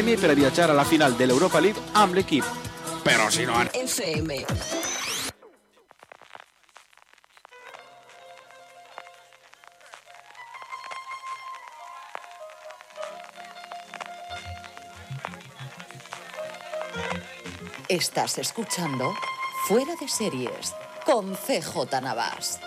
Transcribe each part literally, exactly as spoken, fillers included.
per a viatjar a la final de l'Europa League amb l'equip. Però si no... F M. Estás escuchando Fuera de Series con C J Navas.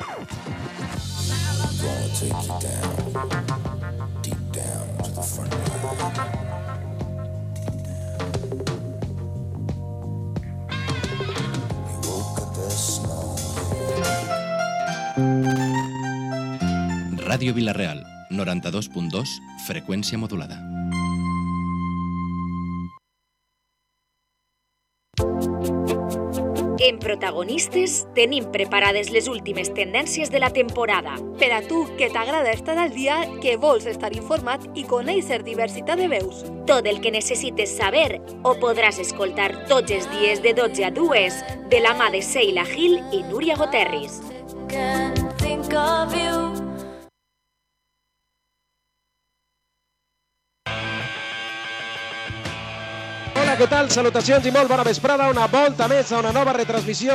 Ràdio Vila-real, noranta-dos punt dos, freqüència modulada. En Protagonistes tenim preparades les últimes tendències de la temporada. Per a tu, que t'agrada estar al dia, que vols estar informat i conèixer diversitat de veus. Tot el que necessites saber ho podràs escoltar tots els dies de dotze a dues de la mà de Sheila Gil i Núria Goterris. Hola, què tal? Salutacions i molt bona vesprada. Una volta més a una nova retransmissió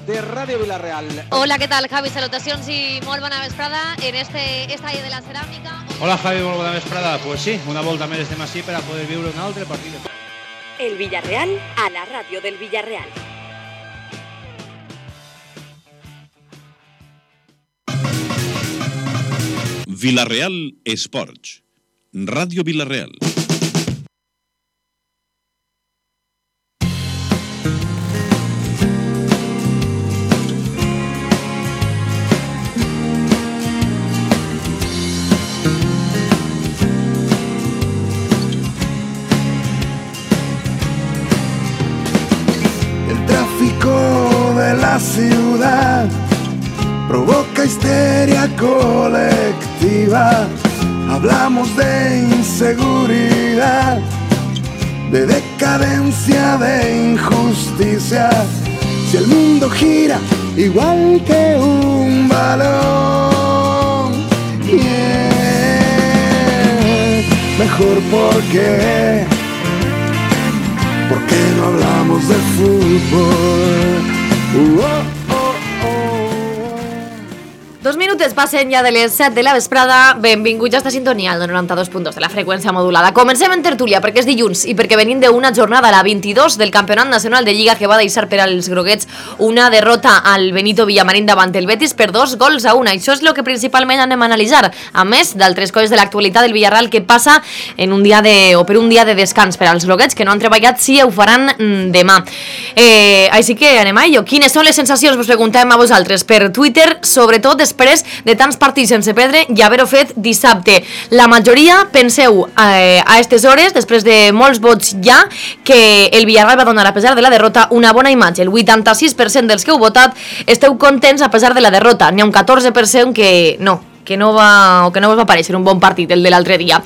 de Ràdio Vila-real. Hola, què tal, Javi? Salutacions i molt bona vesprada en este estadi de la ceràmica. Hola, Javi, molt bona vesprada. Pues sí, una volta més estem així per a poder viure un altre partit. El Villarreal a la ràdio del Villarreal. Vila-real Esports. Ràdio Vila-real. De la ciudad provoca histeria colectiva. Hablamos de inseguridad, de decadencia, de injusticia. Si el mundo gira igual que un balón, yeah. Mejor porque porque no hablamos de fútbol. Uh, oh, oh, oh. Dos minutes passen ja de les set de la vesprada. Benvinguts a esta sintonia al noranta-dos punt dos de la freqüència modulada. Comencem en tertúlia perquè és dilluns i perquè venim d'una jornada, la vint-i-dos del Campionat Nacional de Lliga, que va deixar per als groguets una derrota al Benito Villamarín davant el Betis per dos gols a una. Això és el que principalment anem a analitzar, a més d'altres coses de l'actualitat del Villarreal que passa en un dia de, o per un dia de descans per als groguets que no han treballat, si ho faran demà. Eh, així que anem a ello. Quines són les sensacions? Vos preguntem a vosaltres per Twitter, sobretot després de tants partits sense perdre i haver-ho fet dissabte. La majoria penseu eh, a aquestes hores, després de molts vots ja, que el Villarreal va donar, a pesar de la derrota, una bona imatge. El vuitanta-sis per cent dels que heu votat esteu contents a pesar de la derrota. N'hi ha un catorze per cent que no, que no va, o que no us va parèixer un bon partit, el de l'altre dia.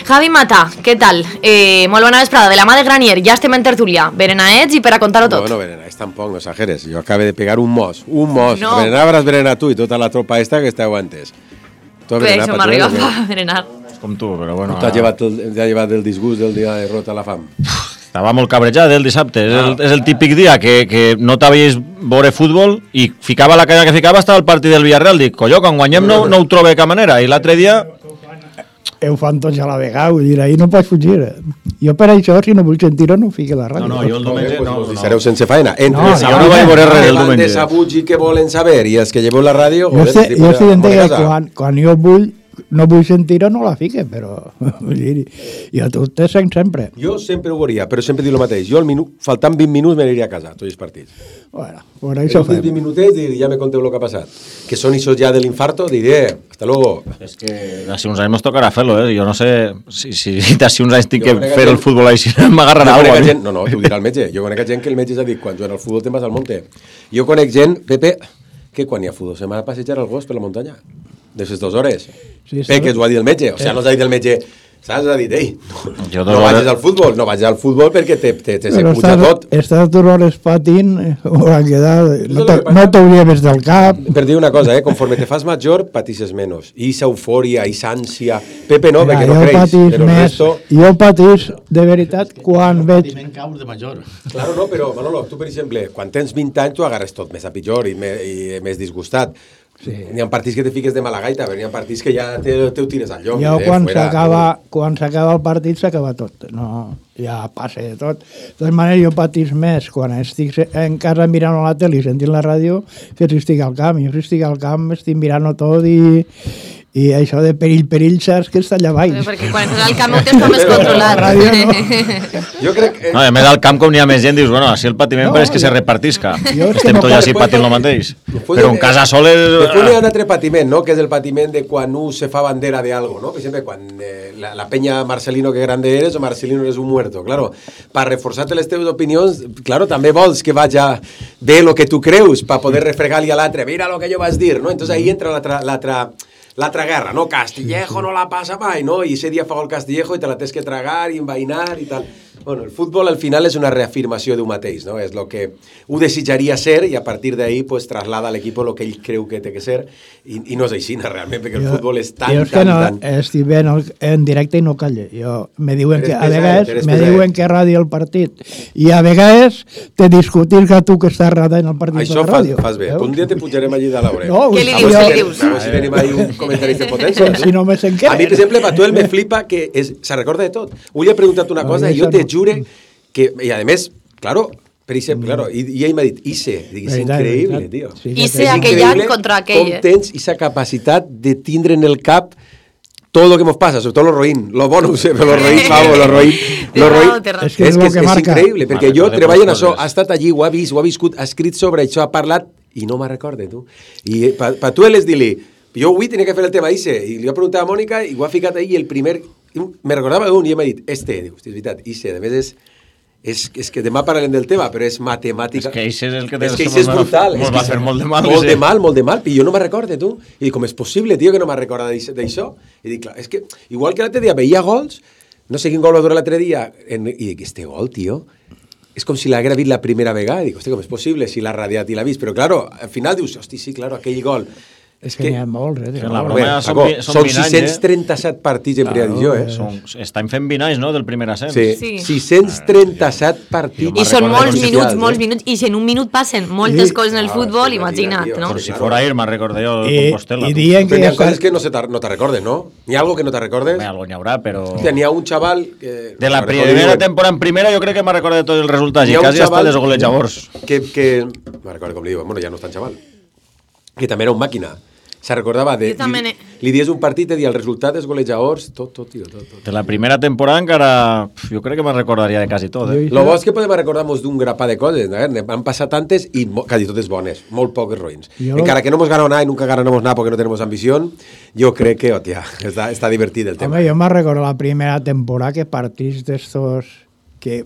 Javi Mata, què tal? Eh, molt bona vesprada, de la mà de Granier, ja estem en tertúlia. Berenaets i per a contar-ho tot. Bueno, Berenaets tampoc, no exageres. Jo acabo de pegar un mos, un mos. No. Berenar hauràs berenar tu i tota la tropa esta que esteu antes. Tu Bé, això m'arriba a berenar. Com tu, però bueno... T'ha llevat, el, llevat el disgust del dia de derrota a la fam. Estava molt cabrejat el dissabte. És el, és el típic dia que, que no t'havies veure futbol i ficava la cara que ficava hasta el partit del Villarreal. Dic, colló, quan guanyem no, no ho trobo de cap manera. I l'altre dia... Ho fan tots a la vegada, vull dir, ahir no pots fugir. Jo per això, si no vull sentir-ho, no ho fiqui a la ràdio. No, no, jo el diumenge no. Pues, no. Sereu sense feina. Entre no, els jo no vaig veure res el diumenge. Desabuts i que volen saber i els que lleveu la ràdio... Jo sé, jo sé que quan, quan jo vull, no vull sentir-ho, no la fique, però... Vull dir, jo tot te sent sempre. Jo sempre ho veuria, però sempre dic el mateix. Jo, el minut, faltant vint minuts, me n'aniria a casa, tots els partits. Bueno, por això fem. vint minutets i ja me conteu el que ha passat. Que són això ja de l'infarto, diré, hasta luego. És que d'ací uns anys nos tocarà fer-lo, eh? Jo no sé si, si d'ací uns anys tinc que fer el futbol així, m'agarrarà alguna cosa. No, no, t'ho dirà el metge. Jo conec gent que el metge s'ha dit, quan juguen al futbol te'n vas al monte. Jo conec gent, Pepe, que quan hi ha futbol se m'ha de passejar el gos per la muntanya. De les dues hores. Sí, Pepe, que t'ho ha dit el metge. O sigui, no t'ha dit el metge, Saps? Ha dit, ei, no, Jo no dos vagis hores- al futbol, no vagis al futbol perquè te, te, te se Però puja estàs, tot. estàs dues hores patint, hauran quedat, no te- no t'hauria vist del cap. Per dir una cosa, eh, conforme te fas major, patisses menos. I esa eufòria, i esa ànsia... Pepe no, Mira, perquè no jo creus, patís però el més, resto... jo patís de veritat quan veig... caus de major. Claro, no, però Manolo, tu per exemple, quan tens vint anys tu agarres tot més a pitjor i, me, i més disgustat. Sí. N'hi ha partits que te fiques de mala gaita, però n'hi ha partits que ja te, te ho tires al lloc. Jo eh, quan fuera. s'acaba quan s'acaba el partit s'acaba tot, no, ja passa de tot. De totes maneres jo patís més quan estic en casa mirant a la tele i sentint la ràdio que si estic al camp. Jo si estic al camp estic mirant-ho tot i, i això de perill, perill, saps que està allà baix. Perquè quan estàs al camp ho tens com més controlat. Ràdio, no. Jo crec que... No, a més al camp com n'hi ha més gent, dius, bueno, així el patiment no, pareix que se repartisca. Estem tots així patint el mateix. Però en casa sol és... Després hi ha un altre patiment, no?, que és el patiment de quan un se fa bandera de algo, no? Per exemple, quan eh, la, la penya Marcelino que grande eres o Marcelino eres un muerto. Claro, per reforçar-te les teves opinions, claro, també vols que vaja bé lo que tu creus, per poder refregar-li a l'altre, mira lo que jo vas dir, no? Entonces ahí entra l'altra... l'altra l'altra guerra, no? Castillejo no la passa mai, no? I ese dia fa gol Castillejo i te la tens que tragar i envainar i tal. Bueno, el futbol al final és una reafirmació d'un mateix, no? És el que ho desitjaria ser i a partir d'ahí pues, traslada a l'equip el que ell creu que té que ser i, i no és així, realment, perquè el Jo- futbol és tan, jo és que tan, no, tan... estic ben al- en directe i no calle. Jo, me diuen Eres que, a pesat, vegades eres me pesat. diuen que ràdio el partit i a vegades te discutir que tu que estàs radant el partit Això de la fas, ràdio. fas bé. Veus? Un dia te pujarem allí de l'Aure. No, Què li a dius, veure, què li dius? A veure si tenim ahí un comentari de potència. Si no me sent què. A mi, per exemple, Patuel me flipa que és, se recorda de tot. Avui he preguntat una No, cosa i això jo te no. jure que... I a més, claro, per exemple, claro, i, i ell m'ha dit, Ise, dic, és Veritat, increïble, veritat. tio. Sí, que Ise sí. aquell any contra aquell, Com eh? tens esa capacitat de tindre en el cap todo lo que nos pasa, sobre todo los roïn, lo bueno, no sé, però los roïn, vamos, los roïn, los roïn, Té raó, És que és és, lo que que és, és marca. increïble, perquè Marca, jo de treballo en moltes això, coses. ha estat allí, ho ha vist, ho ha viscut, ha escrit sobre això, ha parlat, i no me'n recorde, tu. I pa, pa tu és dir-li, jo avui tenia que fer el tema Ise, i li va preguntar a Mònica, i ho ha ficat ahí, i el primer, me recordava un, i ell m'ha dit, este, diu, hosti, és veritat, Ise, a més és, és, és que demà parlarem del tema, però és matemàtica. És que Ise és el que té- és que Ise és brutal. mos és va que fer molt de mal, Molt Ise. de mal, molt de mal, i jo no me'n recorde, tu. I dic, com és possible, tio, que no me'n recorda d'això? I dic, clar, és que, igual que l'altre dia veia gols, no sé quin gol va durar l'altre dia, en, i dic, este gol, tio, és com si l'haguera vist la primera vegada, i dic, hosti, com és possible, si l'ha radiat i l'ha vist, però, claro, al final dius, hosti, sí, claro, aquell gol. És que n'hi ha molts, eh? Que la molts. broma Bé, són Paco, vi- són són vint anys, sis-cents trenta-set partits en primera divisió, eh? Són, estan fent vint anys, no?, del primer ascens. Sí, Sí. sis-cents trenta-set partits. I són recordo molts de minuts, oficials, molts eh? minuts, i si en un minut passen moltes Sí. coses en el Ah, futbol, sí, imagina't, imagina't, no? tio. Però si fora ahir, me'n recordo jo, de I, Compostela. i tu. dient que Però hi ja ha coses està... que no, se te, no te recordes, ¿no? N'hi ha algo que no te recordes? Bé, algo n'hi haurà, però... Hòstia, n'hi ha un xaval que... De la no recordo primera diuen, temporada en primera jo crec que me'n recordo de tots els resultats n'hi i ha un quasi hasta xaval dels golejadors. Que, que... No recordo com li diuen, bueno, ja no és tan xaval. Que també era un màquina. Se recordava de... Jo també Li, n'he- li dies un partit i dir el resultat dels golejadors, tot, tot, tio, tot, tot. De la primera temporada encara... pf, Jo crec que me'n recordaria de quasi tot, eh? Lo bo és que podem recordar-nos d'un grapà de coses, eh? Han passat tantes i mo- quasi totes bones, molt poques roïns. Jo- Encara que no hemos ganado nada y nunca ganaremos nada porque no tenemos ambición, yo creo que, hòstia, està, està divertit el tema. Home, jo me'n recordo la primera temporada que partits d'estos que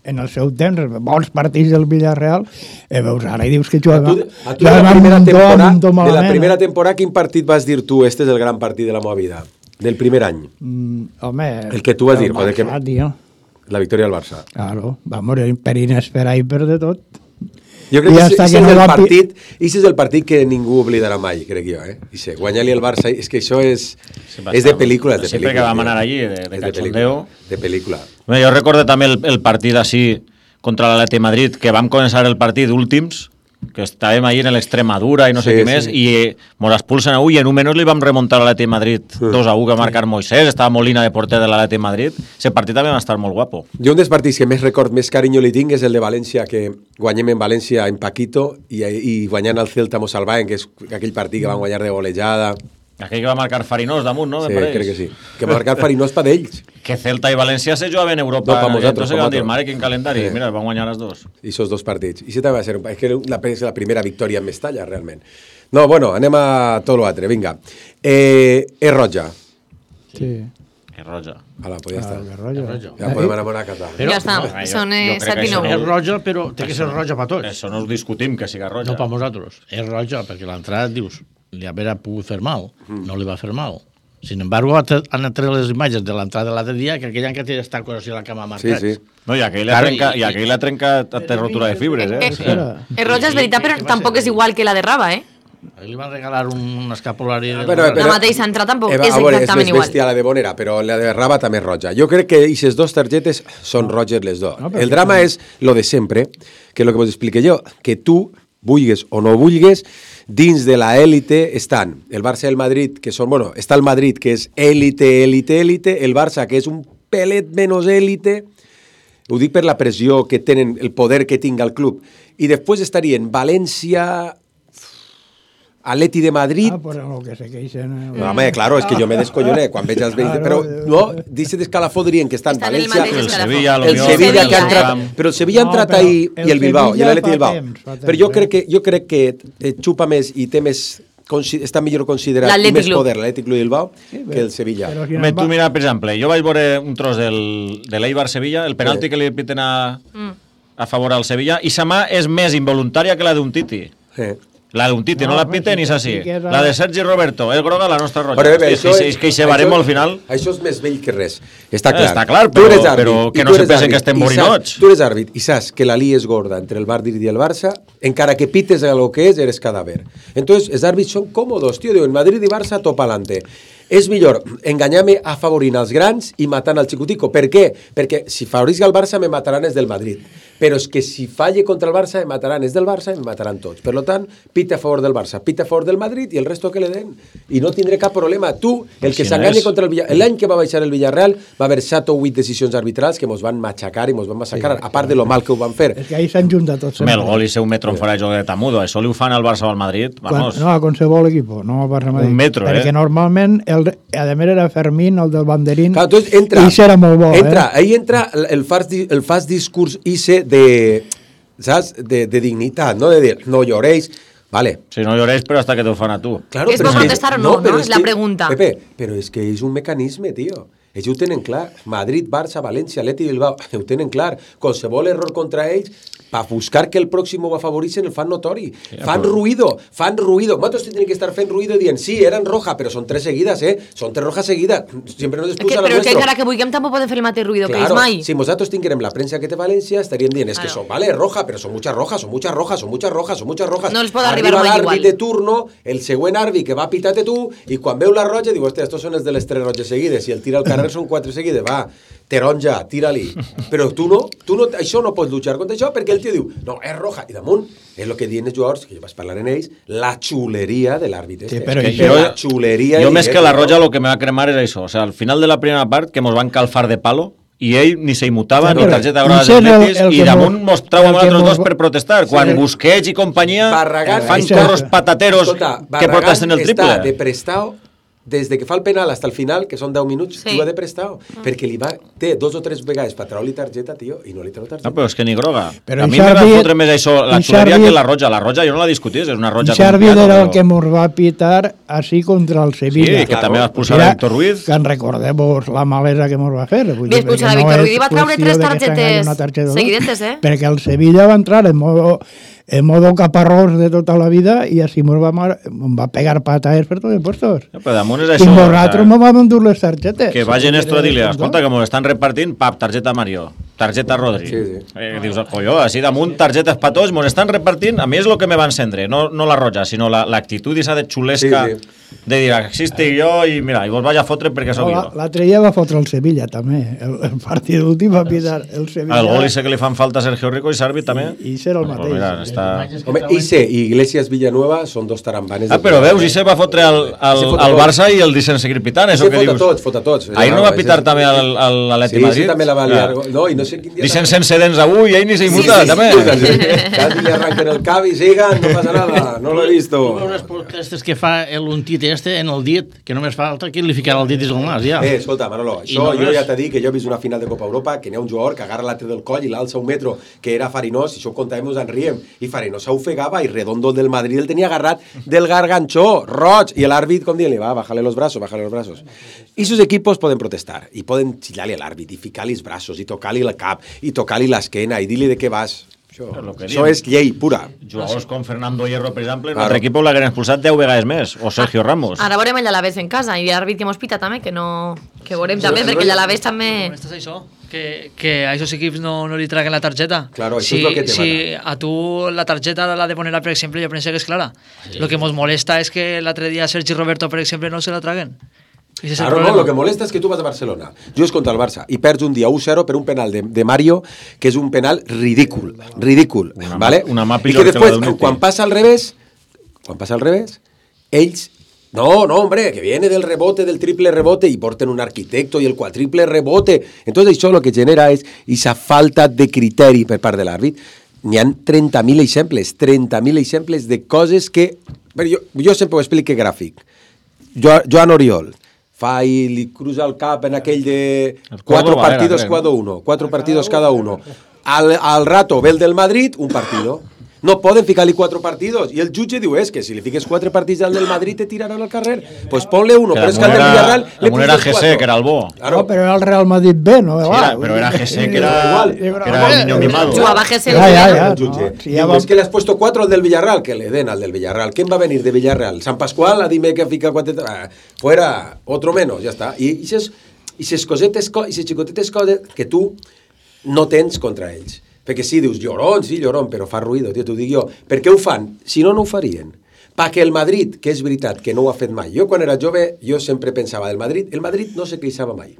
en el seu temps, bons partits del Villarreal, eh, veus ara i dius que A tu, jugava, a tu de, la jugava primera amb temporada, do, amb do de la malament, primera eh? temporada, quin partit vas dir tu, este és el gran partit de la meva vida? Del primer any. Mm, home, El que tu vas dir, el joder, que- Barça, tio. La victòria del Barça. Claro, vamos, per inesperar i per de tot. Jo crec I que hasta ese que és no el va pi- partit, ese és el partit que ningú oblidarà mai, crec jo, eh? I sé, guanyar-li el Barça, és que això és, Sí, va és de estar- pel·lícula, és de sempre pel·lícula. que vam tio. anar allí, de- de És cachondeo. pel·lícula, De pel·lícula. Bé, jo recordo també el, el partit així contra l'Atleti Madrid, que vam començar el partit últims, que estàvem allí en l'Extremadura i no sé Sí, què més, sí. i eh, mos expulsen a u i en un menús li vam remuntar a l'Atleti Madrid dos a u que va marcar Moisés, estava Molina de porter de l'Atleti Madrid. Ese partit també va estar molt guapo. Jo un dels partits que més record, més carinyo li tinc és el de València, que guanyem en València en Paquito i, i guanyant el Celta mos salvaven, que és aquell partit que van guanyar de golejada. Aquell que va marcar Farinós damunt, no? Sí, Me pareix. crec que sí. Que va marcar Farinós pa d'ells. Que Celta i València se jugaven en Europa. No, pa nosaltres, Entonces pa van dir, nosaltres. mare, quin calendari. Sí. Mira, van guanyar les dos. I esos dos partits. I això també va ser un... És que la, és la primera victòria en Mestalla, realment. No, bueno, anem a tot l'altre, vinga. Eh, és roja. Sí. Que roja. Ala, pues ja està. Que roja. Ja podem anar a casa. Ja està, no, jo- són jo eh, crec set que i això nou. És roja, però té que ser roja per tots. Això no us discutim, que siga roja. No per nosaltres. És roja perquè l'entrada, dius, li haver pogut fer mal. No li va fer mal. Sin embargo, han tret les imatges de l'entrada de l'altre dia, que aquell any que té estar cosint la cama marcats. Sí, sí. No, i aquell l'ha trencat, i aquell l'ha trencat a rotura de fibres, eh? Eh, eh, Roja, és veritat, però tampoc és igual que la de Raba, eh? Li van regalar un, un escapulari... Ah, però, però, la mateixa entrada tampoc eh, és a veure, exactament és igual. bèstia la de Bonera, però la de Raba també és roja. Jo crec que aquestes dues targetes són roges les dues. No, el drama és lo de sempre, que és el que vos explique jo, que tu, vulgues o no vulgues, dins de la élite estan el Barça i el Madrid, que són, bueno, està el Madrid, que és élite, élite, élite, el Barça, que és un pelet menys élite, ho dic per la pressió que tenen, el poder que tinga el club, i després estarien València, Atleti de Madrid... Ah, por lo que se queixen... No, home, claro, és que jo me descolloné quan veig els veïns... Però, no, dice d'escalafó dirien que estan València... El Sevilla, el Sevilla que ha entrat... Però el Sevilla ha entrat ahir i el Bilbao, i l'Atleti Bilbao. Però jo crec que jo crec que xupa més i té més... està millor considerat i més poder l'Atlètic Club Bilbao que el Sevilla. Home, tu mira, per exemple, jo vaig veure un tros del, de l'Eibar-Sevilla, el penalti que li piten a, a favor al Sevilla, i sa mà és més involuntària que la d'un Titi. Sí. La d'un Titi no, no la piten i és així. La de Sergi Roberto, és groga, la nostra roja. Però, bé, Hosti, és, és que hi se barem al final. Això és més vell que res. Està clar. Està clar, però, però que no se pensen que estem borinots. Tu eres àrbit i saps que la lia és gorda entre el Madrid i el Barça, encara que pites a lo que és, eres cadàver. Entonces, els àrbits són còmodos, tio. Diuen, Madrid i Barça, top alante. És millor enganyar-me afavorint els grans i matant el xicutico. Per què? Perquè si favorisc el Barça me mataran els del Madrid. Però és que si falle contra el Barça me mataran els del Barça i me mataran tots. Per tant, pita a favor del Barça, pita a favor del Madrid i el resto que le den. I no tindré cap problema. Tu, el que s'enganya contra el Villarreal... L'any que va baixar el Villarreal va haver set o vuit decisions arbitrals que mos van matxacar i mos van massacrar, a part de lo mal que ho van fer. És que ahí s'han juntat tots. El gol i ser un metro en fora de joc de Tamudo. Això li ho fan al Barça o al Madrid. Vamos. No, a qualsevol equip, no al Barça Madrid. Un metro, eh? Perquè normalment, el, a més era Fermín, el del banderín, clar, entonces entra, i serà molt bo. Entra, eh? ahí entra el fast, el fast discurs ese de... ¿sabes? De, de dignidad, ¿no? De decir, no lloréis, vale. Si no lloréis, pero hasta que te fan a tú. Claro, ¿Es por protestar o no? No, no, es la que, pregunta. Pepe, pero es que és un mecanisme, tío. Ells ho tenen clar. Madrid, Barça, València, Atleti i Bilbao, ho tenen clar. Qualsevol error contra ells, per buscar que el pròxim ho favoreixen, el fan notori. Ja, fan però... ruïdo, fan ruïdo. Nosaltres tenen que estar fent ruïdo dient, sí, eren roja, però són tres seguides, eh? Són tres rojas seguides. Sempre nos excusa que, la però nuestro. Però que encara que vulguem tampoc podem fer el mateix ruïdo claro, que ells mai. Si nosaltres tinguérem la premsa que té València, estaríem dient, es que són, vale, roja, però són muchas rojas, són muchas rojas, són muchas rojas, són muchas rojas. No els pot arribar mai igual. L'àrbit de turno, el següent àrbit que va a pitar-te tu, i quan veu la roja, diu, hòstia, estos són els de les tres roges seguides, i el tira al carrer són quatre seguides, va, taronja, tira-li. Però tu no, tu no, això no pots luchar contra això, perquè el tio diu, no, és roja, i damunt, és el que diuen els jugadors, que jo vaig parlar en ells, la xuleria de l'àrbit. Sí, però és que la xuleria... Jo més que la roja, el que me va cremar és això, o sea, al final de la primera part, que mos van calfar de palo, i ell ni se imutava, sí, ni targeta groga dels Atletis, i damunt mostràvem els altres dos per protestar. Quan sí. Busquets i companyia Barragán, fan corros patateros escolta, que protesten el triple. Està de prestao des de que fa el penal fins al final, que són deu minuts, sí. Tu ha de prestao, mm. perquè li va, té dos o tres vegades per treure-li targeta, tio, i no li treu targeta. No, però és que ni groga. Però a mi me va fotre més això, la xuleria que la roja. La roja jo no la discutís, és una roja... Xarvi era el que mos va pitar així contra el Sevilla. Sí, que també va expulsar a Víctor Ruiz. Que en recordem la malesa que mos va fer. Vull dir, expulsar a Víctor Ruiz i va treure tres targetes seguidetes, eh? Perquè el Sevilla va entrar en modo... en modo caparrós de tota la vida i així mos va, va pegar patades per tots els puestos. Ja, però damunt és això. I nosaltres mos vam endur les targetes. Que vagin esto a dir-li, escolta, que mos estan repartint, pap, targeta Mario, targeta Rodri. Sí, sí. Eh, dius, colló, així damunt, targetes per tots, mos estan repartint, a mi és el que me va encendre, no, no la roja, sinó l'actitud la, esa de xulesca, sí, sí. De dir, existi jo i mira, i vos vaig a fotre perquè sóc jo. L'altre dia va fotre el Sevilla, també. El, el partit últim va pitar el Sevilla. El gol i sé que li fan falta a Sergio Rico i Sarvi també. I, i serà el mateix. Mira, està... Home, Ise i Iglesias Villanueva són dos tarambanes. Ah, però veus, Ise va fotre al, al, al Barça i el deixen seguir pitant, això que dius. Ise fota tots, fota tots. Ahir no va pitar també al, al Atleti Madrid? Sí, sí, també la va liar. No, i no sé quin dia... Deixen sense dents avui i ell ni s'hi muta, també. Casi li arranquen el cap i sigan, no passa nada, no l'he visto. Tu veus les protestes que fa l'untit este en el dit, que només falta que li ficarà el dit dins el nas, ja. Eh, escolta, Manolo, això no jo ja t'he dit que jo he vist una final de Copa Europa, que n'hi ha un jugador que agarra l'altre del coll i l'alça un metro, que era Farinós, i això ho contàvem, ens en riem, i Farinós s'ofegava i Redondo del Madrid el tenia agarrat del garganxó, roig, i l'àrbit, com dient-li, va, bájale los brazos, bájale los brazos. I sus equipos poden protestar, i poden xillar-li a l'àrbit, i ficar-li els braços, i tocar-li el cap, i tocar-li l'esquena, i dir-li de què vas. Això, això és llei pura. Jugadors com Fernando Hierro, per exemple, en l'altre equip l'hagueren expulsat deu vegades més, o Sergio Ramos. Ara veurem el Alavés en casa, i l'àrbit que mos pita també, que no... que veurem també, perquè l'Alavés també... Estàs això? Que, que a aquests equips no, no li traguen la targeta. Claro, si, això és lo que te si a tu la targeta la de poner, per exemple, jo penso que és clara. Sí. Lo que ens molesta és que l'altre dia Sergi Roberto, per exemple, no se la traguen. Claro, no, lo que molesta és que tu vas a Barcelona, jugues contra el Barça i perds un dia u zero per un penal de, de Mario, que és un penal ridícul, ridícul, una, ¿vale? Una mà I que després, que quan passa al revés, quan passa al revés, ells, no, no, hombre, que viene del rebote, del triple rebote, y porten un arquitecto y el cuatriple rebote. Entonces això lo que genera és esa falta de criteri per part de l'àrbit. N'hi ha trenta mil exemples, trenta mil exemples de coses que... Jo, jo sempre ho explico gràfic. Jo, Joan Oriol, fa i li cruza el cap en aquell de cuatro partidos cada uno, cuatro partidos cada uno. Al, al rato ve el del Madrid, un partido. No poden ficar-li quatre partidos. I el jutge diu, és que si li fiques quatre partits al del Madrid te tiraran al carrer. Pues ponle uno, que però és que al del Villarreal... Damunt era G C, que era el bo. Claro. No, però era el Real Madrid B, no? Sí, era, però era G C, que era, que era el niño mimado. Jugava G C. Ja, ja, ja. El jutge. No, si ja va... És que le has puesto cuatro al del Villarreal, que le den al del Villarreal. ¿Quién va a venir de Villarreal? ¿San Pascual? A dime que fica quatre... Ah, fuera, otro menos, ya está. I aquestes cosetes, aquestes xicotetes coses que tu no tens contra ells. Perquè sí, dius, llorón, sí, llorón, però fa ruïdo, tio, t'ho dic jo. Per què ho fan? Si no, no ho farien. Perquè el Madrid, que és veritat que no ho ha fet mai. Jo, quan era jove, jo sempre pensava del Madrid. El Madrid no se queixava mai.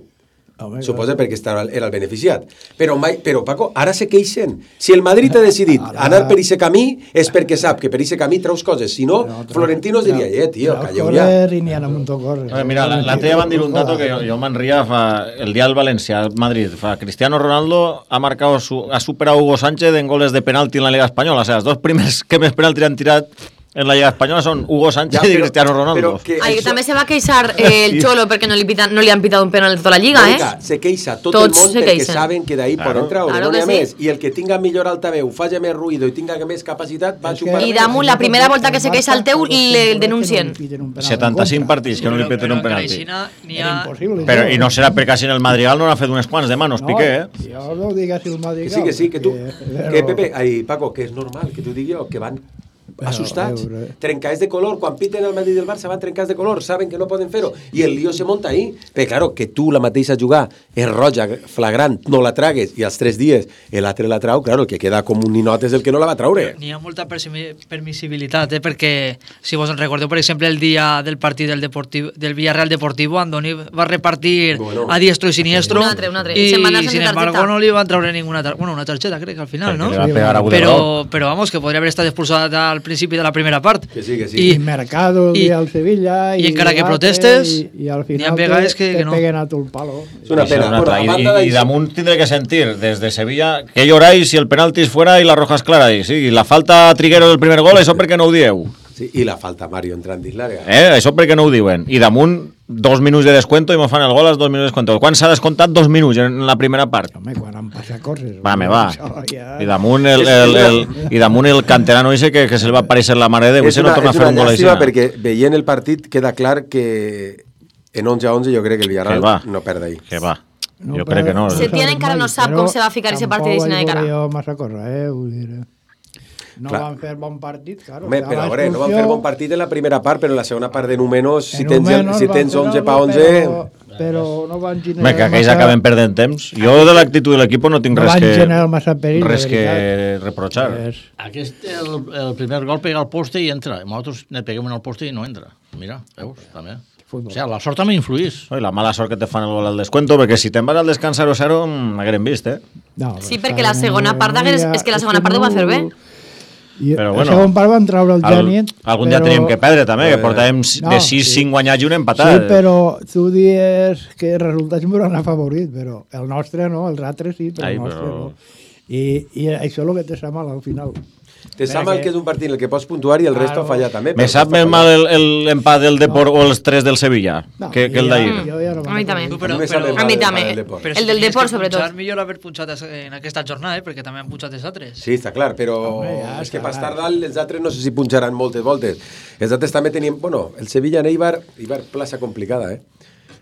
Oh Suposa perquè estava, era el beneficiat. Però, mai, però, Paco, ara se queixen. Si el Madrid ha decidit anar per aquest camí, és perquè sap que per aquest camí treus coses. Si no, Florentino diria, eh, tio, calleu ja. I n'hi ha un to córrer. Mira, l'altre dia van dir un dato que jo, jo me'n ria, fa, el dia del València, al Madrid, fa, Cristiano Ronaldo ha marcat, ha superat Hugo Sánchez en goles de penalti en la Liga Espanyola. O sigui, els dos primers que més penalti han tirat en la Lliga Espanyola són Hugo Sánchez ja, però, i Cristiano Ronaldo. Que Ay, això... També se va queixar eh, el Cholo perquè no li, pitan, no li han pitat un penal de tota la Lliga, Venga, eh? Se queixa tot Tots el món perquè saben que d'ahí claro. Poden treure, claro no n'hi ha sí. Més. I el que tinga millor altaveu, faci més ruïdo i tinga més capacitat, va xupar I damunt, la primera volta que se queixa el teu, le denuncien. setanta-cinc partits que no li piten un penalti. Però, I no serà perquè si en el Madrigal no n'ha fet unes quants de manos, Piqué, eh? Jo no digues el Madrigal. Que sí, que sí, que tu... Que, Pepe, ai, Paco, que és normal, que t'ho digui jo, que van... assustats, trencats de color, quan piten el Madrid del Barça van trencats de color, saben que no poden fer-ho, i el lío se monta ahí, però claro, que tu la mateixa jugar és roja, flagrant, no la tragues, i als tres dies l'altre la trau, claro, el que queda com un ninot és el que no la va traure. N'hi ha molta permissibilitat, eh, perquè si vos en recordeu, per exemple, el dia del partit del, Deportivo, del Villarreal Deportivo, Andoni va repartir bueno, a diestro i siniestro, un altre, un altre. i, i sin embargo no li van traure ninguna targeta, bueno, una targeta crec que al final, no? Però, però vamos, que podria haver estat expulsat al principi de la primera part. Que sí, que sí. I, I Mercado i el Sevilla i, i encara que protestes i, i al final te, que, te que no. peguen a tu el palo. És una pena. Una bueno, I, I damunt tindré que sentir des de Sevilla que lloráis si el penalti és fuera i la roja és clara. I, sí, i la falta a Triguero del primer gol, això perquè no ho dieu. Sí, i la falta Mario entrant dins l'àrea. Eh, això perquè no ho diuen. I damunt dos minuts de descuento i me fan el gol als dos minuts de descuento. Quan s'ha descomptat dos minuts en la primera part? Home, quan han passat coses. Va, me va. Ja... I damunt el, el, el, i damunt el canterano ese que, que se li va aparèixer la mare de Déu. És una, no és una llàstima perquè veient el partit queda clar que en onze a onze jo crec que el Villarreal no perd ahí. Que va. No, jo crec que no. Setién encara no sap com se va ficar ese partit de Sina de cara. Tampoc massa cosa, eh? Vull dir... No clar. Van fer bon partit, claro. Home, però a veure, no van fer bon partit en la primera part, però en la segona part de números, si tens, si tens onze pa onze... Però, però no van generar... Home, que aquells massa... acaben perdent temps. Jo de l'actitud de l'equip no tinc no res, que, massa perill, res que reprochar. És... Aquest, el, el primer gol pega al poste i entra. Nosaltres ne peguem en el poste i no entra. Mira, veus, també. Futbol. O sigui, la sort també influís. I la mala sort que te fan el gol al descuento, perquè si te'n vas al descans zero zero, m'hagueren vist, eh? No, sí, perquè la segona part és, és que la segona part ho va fer bé. I però bueno, el segon part van treure el Gènit. Algun però... dia teníem que perdre també, que portàvem no, de sis cinc sí. guanyats i un empatat. Sí, però tu dius que els resultats m'ho han afavorit, però el nostre no, els altres sí, però Ai, el nostre però... no. I, I això és el que te sap mal al final. Te sap mal que és un partit en el que pots puntuar i el claro. Resto falla també. Me sap més mal l'empat del Depor no. o els tres del Sevilla no, que, que el d'ahir. Ja, no a mi també. Però, però, a mi també. El, el del Depor, sobretot. Punxar millor haver punxat en aquesta jornada, eh, perquè també han punxat els altres. Sí, està clar, però Home, ja, és que per estar dalt els altres no sé si punxaran moltes voltes. Els altres també tenien... Bueno, el Sevilla en Eibar, Eibar plaça complicada, eh?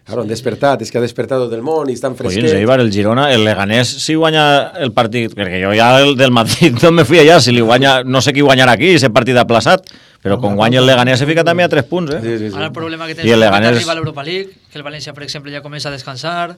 Claro, han despertat, és que ha despertat tot el món i estan fresquets. Collins, Eibar, el Girona, el Leganés, si guanya el partit, perquè jo ja el del Madrid no me fui allà, si li guanya, no sé qui guanyarà aquí, ese partit aplaçat, però quan guanya el Leganés se fica també a tres punts, eh? Sí, sí, sí. Ara el problema que I el tens Leganés... que arriba a l'Europa League, que el València, per exemple, ja comença a descansar.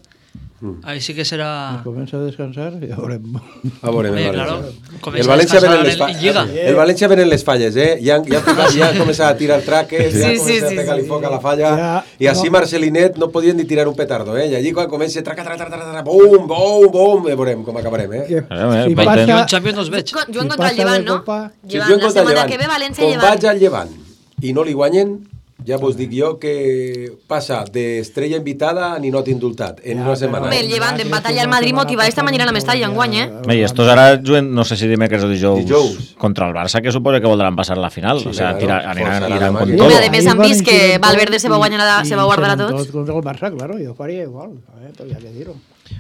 Mm. Ahí sí que serà... Comença a descansar i ja veurem. A veure, Bé, el claro, València. El València venen les falles. El València venen les falles, eh? Ja, ja, ja han començat a tirar traques, ja han Sí, sí, començat sí, a pegar-li sí, foc sí. a la falla, Ja, i així no. Marcelinet no podien ni tirar un petardo, eh? I allí quan comença, traca, traca, traca, traca, bum, bum, bum, ja veurem com acabarem, eh? Que, Si si passa- passa, Jo en Champions no els veig. Juguen si contra el passa Llevant, de no? Copa, Si Llevant, juguen la contra el setmana Llevant, que ve València com Llevant. vaig al Llevant i no li guanyen, ja vos dic jo que passa d'estrella invitada a ninot indultat en una setmana. Home, el Llevant d'empatar allà al Madrid motiva esta mañana a la Mestalla, enguany, eh? Bé, i estos ara juguen, no sé si dimecres o dijous, Dijous. contra el Barça, que suposo que voldran passar la final. Sí, o sea, claro, tira, aniran, forçaran aniran la con màquina. todo. Home, a més han vist que Valverde se va guanyar la- se va guardar a tots. Tots contra el Barça, claro, jo faria igual. A veure, tot hi ha que dir-ho.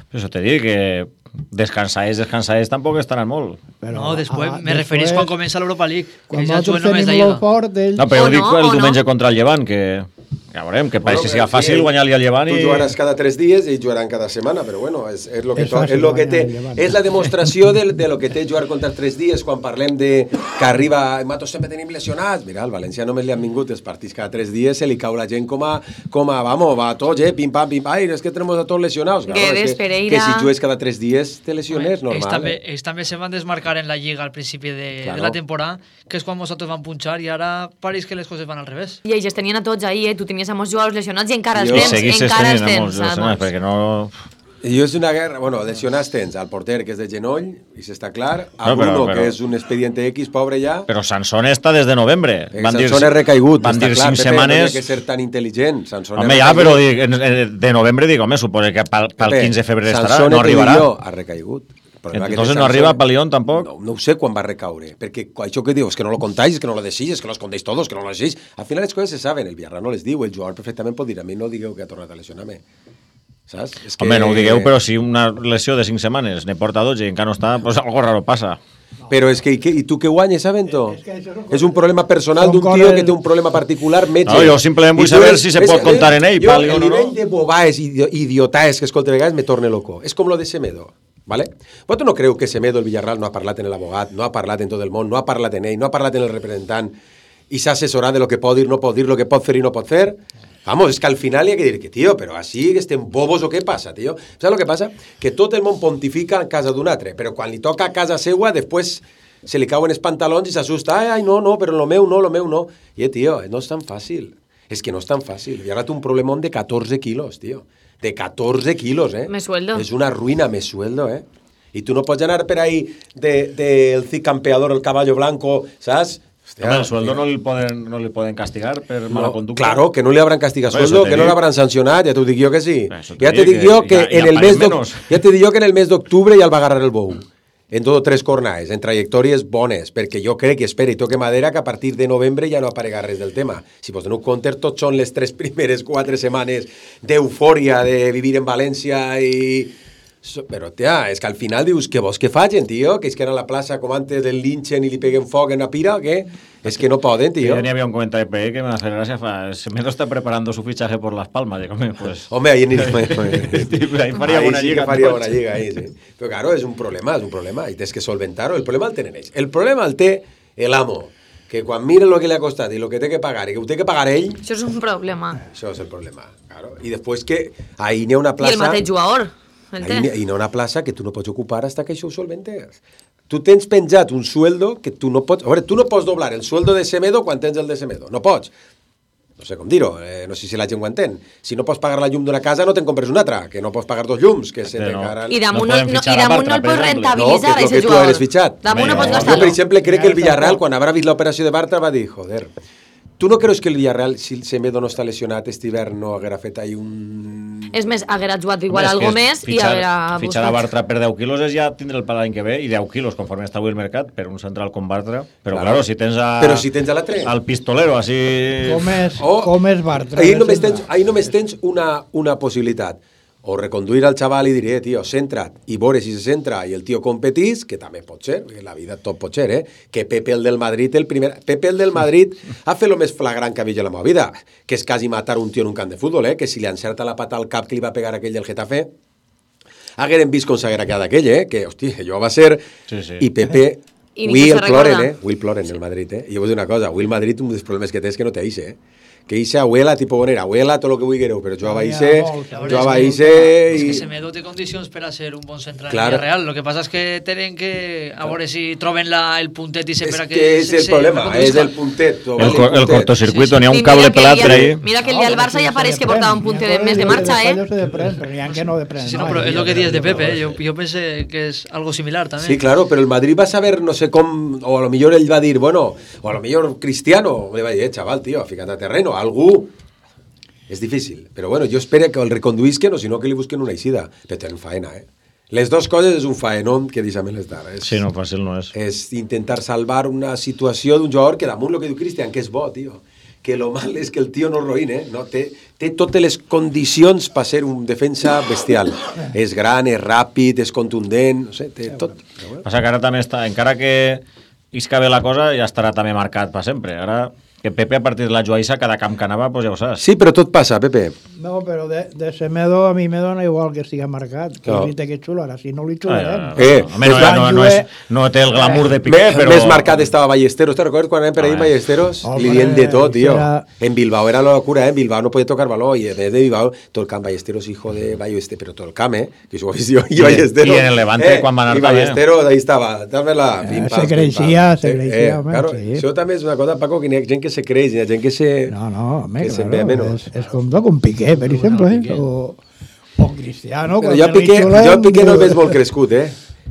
Però això te dic que descansáis, descansáis, tampoc estaran molt. Però, No, després, ah, me referís després, quan comença l'Europa League, Quan que ja nosaltres juguen només de tenim lo Lliga. fort d'ells... No, però O jo dic no, el o diumenge no. contra el Llevant, que ja veurem, que pareix que siga Bueno, fàcil sí, guanyar-li al Llevant Tu i... jugaràs cada tres dies i ells jugaran cada setmana, però bueno, és, és, lo que És to, fàcil és, lo que guanyar té, el Llevant. és la demostració de, de lo que té jugar contra els tres dies quan parlem de que arriba, matos sempre tenim lesionats. Mira, al València només li han vingut els partits cada tres dies, se li cau la gent com a, com a vamos, va a tots, eh, pim pam, pim pam, ai, és que tenemos a tots lesionados. Claro, Guedes, és que, Pereira. que si jugues cada tres dies te lesiones, Ells normal. també, Eh? ells també se van desmarcar en la Lliga al principi de, Claro. de la temporada, que és quan nosaltres vam punxar, i ara pareix que les coses van al revés. I ells es tenien a tots ahí, eh? Tu tenies a molts jugadors lesionats i encara els Jo- I tens, seguisses encara els tenint a molts tens. a lesionats, molts. perquè no... I és una guerra, bueno, lesionats tens al porter, que és de genoll, i s'està clar, a No, però- Bruno, però- que és un expediente X, pobre ja, Però Sansón està des de novembre. Eh, Sansón és recaigut, van està dir clar, cinc Pepe, setmanes... no hi ha que ser tan intel·ligent. Sansón Home, és ja, recaigut. però dic, en- en- de novembre dic, home, suposo que pel, pel Pepe, quinze de febrer estarà, Sansón, no t'ho dic arribarà. jo, ha recaigut. El problema que té Entonces no Sansón- arriba a Palión tampoc. No, no ho sé quan va recaure, perquè això que dius, que no lo contáis, que no lo decís, que lo escondéis todos, que no lo decís, al final les coses se saben, el Villarreal no les diu, el jugador perfectament pot dir, a mi no digueu que ha tornat a lesionar-me. Saps? És que... Home, no ho digueu, però si una lesió de cinc setmanes ne porta dotze i encara no està, pues algo raro passa. Però és que, i, que, i tu què guanyes, Avento? És que això són És un problema personal són d'un tio coses- que té un problema particular, metge. No, jo simplement vull I tu saber eres- si se ves, pot comptar eh, en ell, jo, Pali, o el no, nivell no. de bobaes i de- idiotaes que escolta a vegades me torna loco. És com lo de Semedo, ¿vale? Vosaltres no creu que Semedo, el Villarreal, no ha parlat en l'abogat, no ha parlat en tot el món, no ha parlat en ell, no ha parlat en el representant i s'ha assessorat de lo que pot dir, no pot dir, lo que pot fer i no pot fer? Vamos, és que al final hi ha que dir que, tio, però així que estem bobos o què passa, tio? Saps el que passa? Que tot el món pontifica en casa d'un altre, però quan li toca a casa seua, després se li cauen els pantalons i s'assusta. Ai, ai, no, no, però lo meu no, lo meu no. I, eh, tio, no és tan fàcil. És que no és tan fàcil. I ara té un problemón de catorze quilos, tio. De catorze quilos, eh? Me sueldo. És una ruïna, me sueldo, eh? I tu no pots anar per ahí del de, de cid campeador, el caballo blanco, saps? Hostia, Home, el sueldo tio. no li poden, no li poden castigar per mala No, conducta. claro, que no li hauran castigat Bueno, sueldo, eso te que no dic. l'hauran sancionat, ja t'ho dic jo que sí. Eso te Ja te dic dic jo que que ja- en ja el paguem mes d'oc- menos. ja te dic jo que en el mes d'octubre ja el va agarrar el bou. En tot tres cornades, en trajectòries bones, perquè jo crec, i espera, i toque madera, que a partir de novembre ja no aparega res del tema. Si vos doneu compte, tots són les tres primeres quatre setmanes d'eufòria, de vivir en València i... So- Però, tia, és que al final dius, que vos què facin, tio? Que és que era a la plaça com antes del linchen i li peguen foc en la pira, o què? És que no poden, tio. Jo n'hi havia un comentari per ahí que me hace gracia. Fa, Semedo está preparando su fichaje por Las Palmas. Digo, home, pues... Home, ahí anirem... ahí faria ahí bona sí lliga. que faria tots. bona lliga, ahí, sí. Però, claro, és un problema, és un problema, i tens que solventar-ho. El problema el tenen ells. El problema el té l'amo, que quan mira el que li ha costat i el que té que pagar i que ho té que pagar ell, Això és un problema. això és el problema, claro. I després que ahí n'hi ha una I el plaça... mateix jugador. El Ahí n'hi té. hi ha una plaça que tu no pots ocupar hasta que això ho solventes. Tu tens penjat un sueldo que tu no pots... A veure, tu no pots doblar el sueldo de Semedo quan tens el de Semedo. No pots. No sé com dir-ho, eh, no sé si la gent ho entén. Si no pots pagar la llum d'una casa, no te'n compres una altra, que no pots pagar dos llums, que se Sí, te no. caran... I damunt No no, podem no, fitxar i a damunt no Bartra, el per pots exemple. No, rentabilitzar, que és el aquest que tu jugador. eres fitxat. Damunt no Home, pots no. Jo, gastar-lo. per exemple, crec que el Villarreal, quan haurà vist l'operació de Bartra, va dir, joder, tu no creus que el Villarreal, si el Semedo no està lesionat, este hivern no haguera fet ahí un... És més, haguera jugat igual Home, és algo que més i fitxar- haguera Fitxar a buscat. Bartra per deu quilos és ja tindre el per l'any que ve, i deu quilos, conforme està avui el mercat, per un central com Bartra. Però, Claro. claro, si tens a... Però si tens a l'altre. Al pistolero, així... Com és, O- com és Bartra? Ahí només tens, ahí només tens una, una possibilitat. o reconduir al xaval i diré, tio, centra't, i veure si se centra i el tio competís, que també pot ser, perquè la vida tot pot ser, eh? Que Pepe el del Madrid, el primer... Pepe el del Madrid ha fet el més flagrant que ha vist a la meva vida, que és quasi matar un tio en un camp de futbol, eh? Que si li encerta la pata al cap que li va pegar aquell del Getafe, hagueren vist com s'haguera quedat aquell, eh? Que, hosti, allò va ser... Sí, sí. I Pepe... I avui el ploren, eh? Avui el ploren el Madrid, eh? I jo vull dir una cosa, avui el Madrid un dels problemes que té és que no té aixe, eh? Que Ixe abuela, tipo bonera, abuela, tot el que vulgueu, però jo a Ixe, jo a Ixe... És que Semedo té condicions per a ser un bon central Claro. en Real. Lo que passa és que tenen que... A veure si troben la, el puntet i se per a que... És que és el problema, és el puntet. El, co el cortocircuito, n'hi ha un cable pelat per ahí. Mira que el del Barça ja pareix que portava un puntet de més de marxa, eh? que no de Sí, no, però és el que dius de Pepe, eh? jo, jo pensé que és algo similar també. Sí, claro, però el Madrid va saber, no sé com, o a lo millor ell va dir, bueno, o a lo millor Cristiano, le va dir, eh, chaval, tío, fica't a terreno, algú... És difícil, però bueno, jo espero que el reconduïsquen o si no que li busquen una eixida, però tenen faena, eh? Les dues coses és un faenón que deixa'm les dar. És, sí, no, fàcil no és. És intentar salvar una situació d'un jugador que damunt el que diu Cristian, que és bo, tio. Que lo mal és que el tio no roïn, eh? No, té, té totes les condicions per ser un defensa bestial. És gran, és ràpid, és contundent, no sé, té tot. Passa que ara també està, encara que isca bé la cosa, ja estarà també marcat per sempre. Ara... Que Pepe, a partir de la Joaïssa, cada camp que anava, pues ja ho saps. Sí, però tot passa, Pepe. No, però de, de Semedo a mi me dona igual que estigui marcat. Que no. li té que xular, si no li xularem. Eh, Home, no, no, no, és, no té el glamour de Piqué, més, però... Més marcat estava Ballesteros. Te'n recordes quan anem per ahir Ballesteros? Oh, li dient de tot, tio. Era... En Bilbao era la locura, eh? En Bilbao no podia tocar baló. I des de Bilbao, tot el camp Ballesteros, hijo de Ballesteros, però tot el camp, eh? Que s'ho jo, i Ballesteros. I en el Levante, eh, quan van anar I Ballesteros, ahí estava. Dame-la. Eh, se creixia, se creixia, eh, home. Claro, sí. això també és una cosa, Paco, que hi ha gent que se creix, hi ha gent que se... No, no, home, que claro, se ve menos. Es, es com con Piqué, per exemple, eh? o, o Cristiano. Però jo a Piqué, jo a Piqué no el veig molt crescut, eh?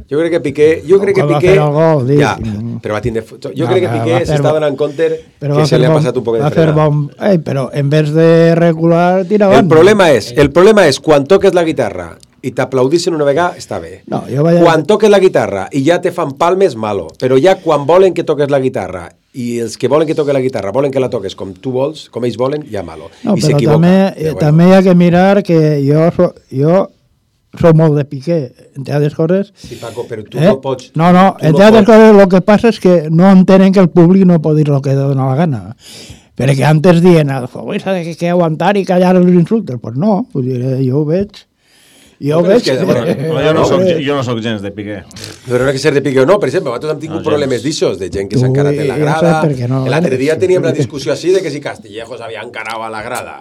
Jo crec que Piqué... Jo crec que Piqué... Gol, ja, però va tindre... Jo no, crec que Piqué s'està donant compte que se li ha passat un poc de frenada. Bon, ei, però en vez de regular, tira avant. El problema és, el problema és quan toques la guitarra i t'aplaudissin una vegada, està bé. No, jo vaig... Quan toques la guitarra i ja te fan palmes, malo. Però ja quan volen que toques la guitarra i els que volen que toques la guitarra volen que la toques com tu vols, com ells volen, ja malo. No, I però s'equivoca. també, ja, bueno. també hi ha que mirar que jo, so, jo soc molt de Piqué, entre altres coses. Sí, Paco, però tu eh? no pots... No, no, entre no altres coses, el que passa és que no entenen que el públic no pot dir el que dona la gana. Perquè antes dient, el futbolista que, que aguantar i callar els insultes. Pues no, pues diré, jo ho veig. Jo ho veig. Que, bueno, jo, no soc, jo no soc gens de Piqué. Però no ha que ser de Piqué o no, per exemple, nosaltres hem tingut no, problemes d'aixòs, de gent que s'ha encarat en la grada. No, L'altre dia teníem la discussió així de que si Castillejo s'havia encarat a la grada.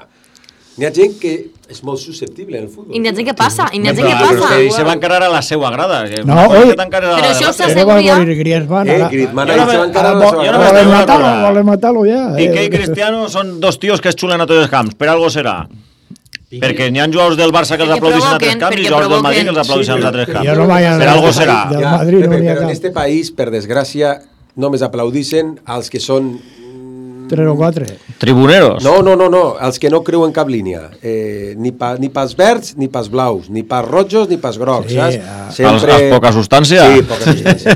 N'hi ha gent que és molt susceptible en el futbol. I n'hi ha gent que passa, i n'hi ha gent que passa. Però se va encarar a la seva grada. No, oi, però això s'asseguria... Eh, Griezmann ahí se va encarar a la seva grada. Volen matar-lo, volen matar-lo ja. Piqué i Cristiano són dos tios que es xulen a tots els camps, per algo serà. Perquè n'hi ha jugadors del Barça que els aplaudissin a altres camps i jugadors del Madrid que els aplaudissin als altres camps. Per algo serà. Ja, Pepe, però en este país, per desgràcia, només aplaudissin als que són... Tres o quatre. Tribuneros. No, no, no, no, els que no creuen cap línia. Eh, ni, pa, ni pas verds, ni pas blaus, ni pas rojos, ni pas grocs, sí, saps? Ja. Sempre... Els, els poca substància? Sí, poca substància.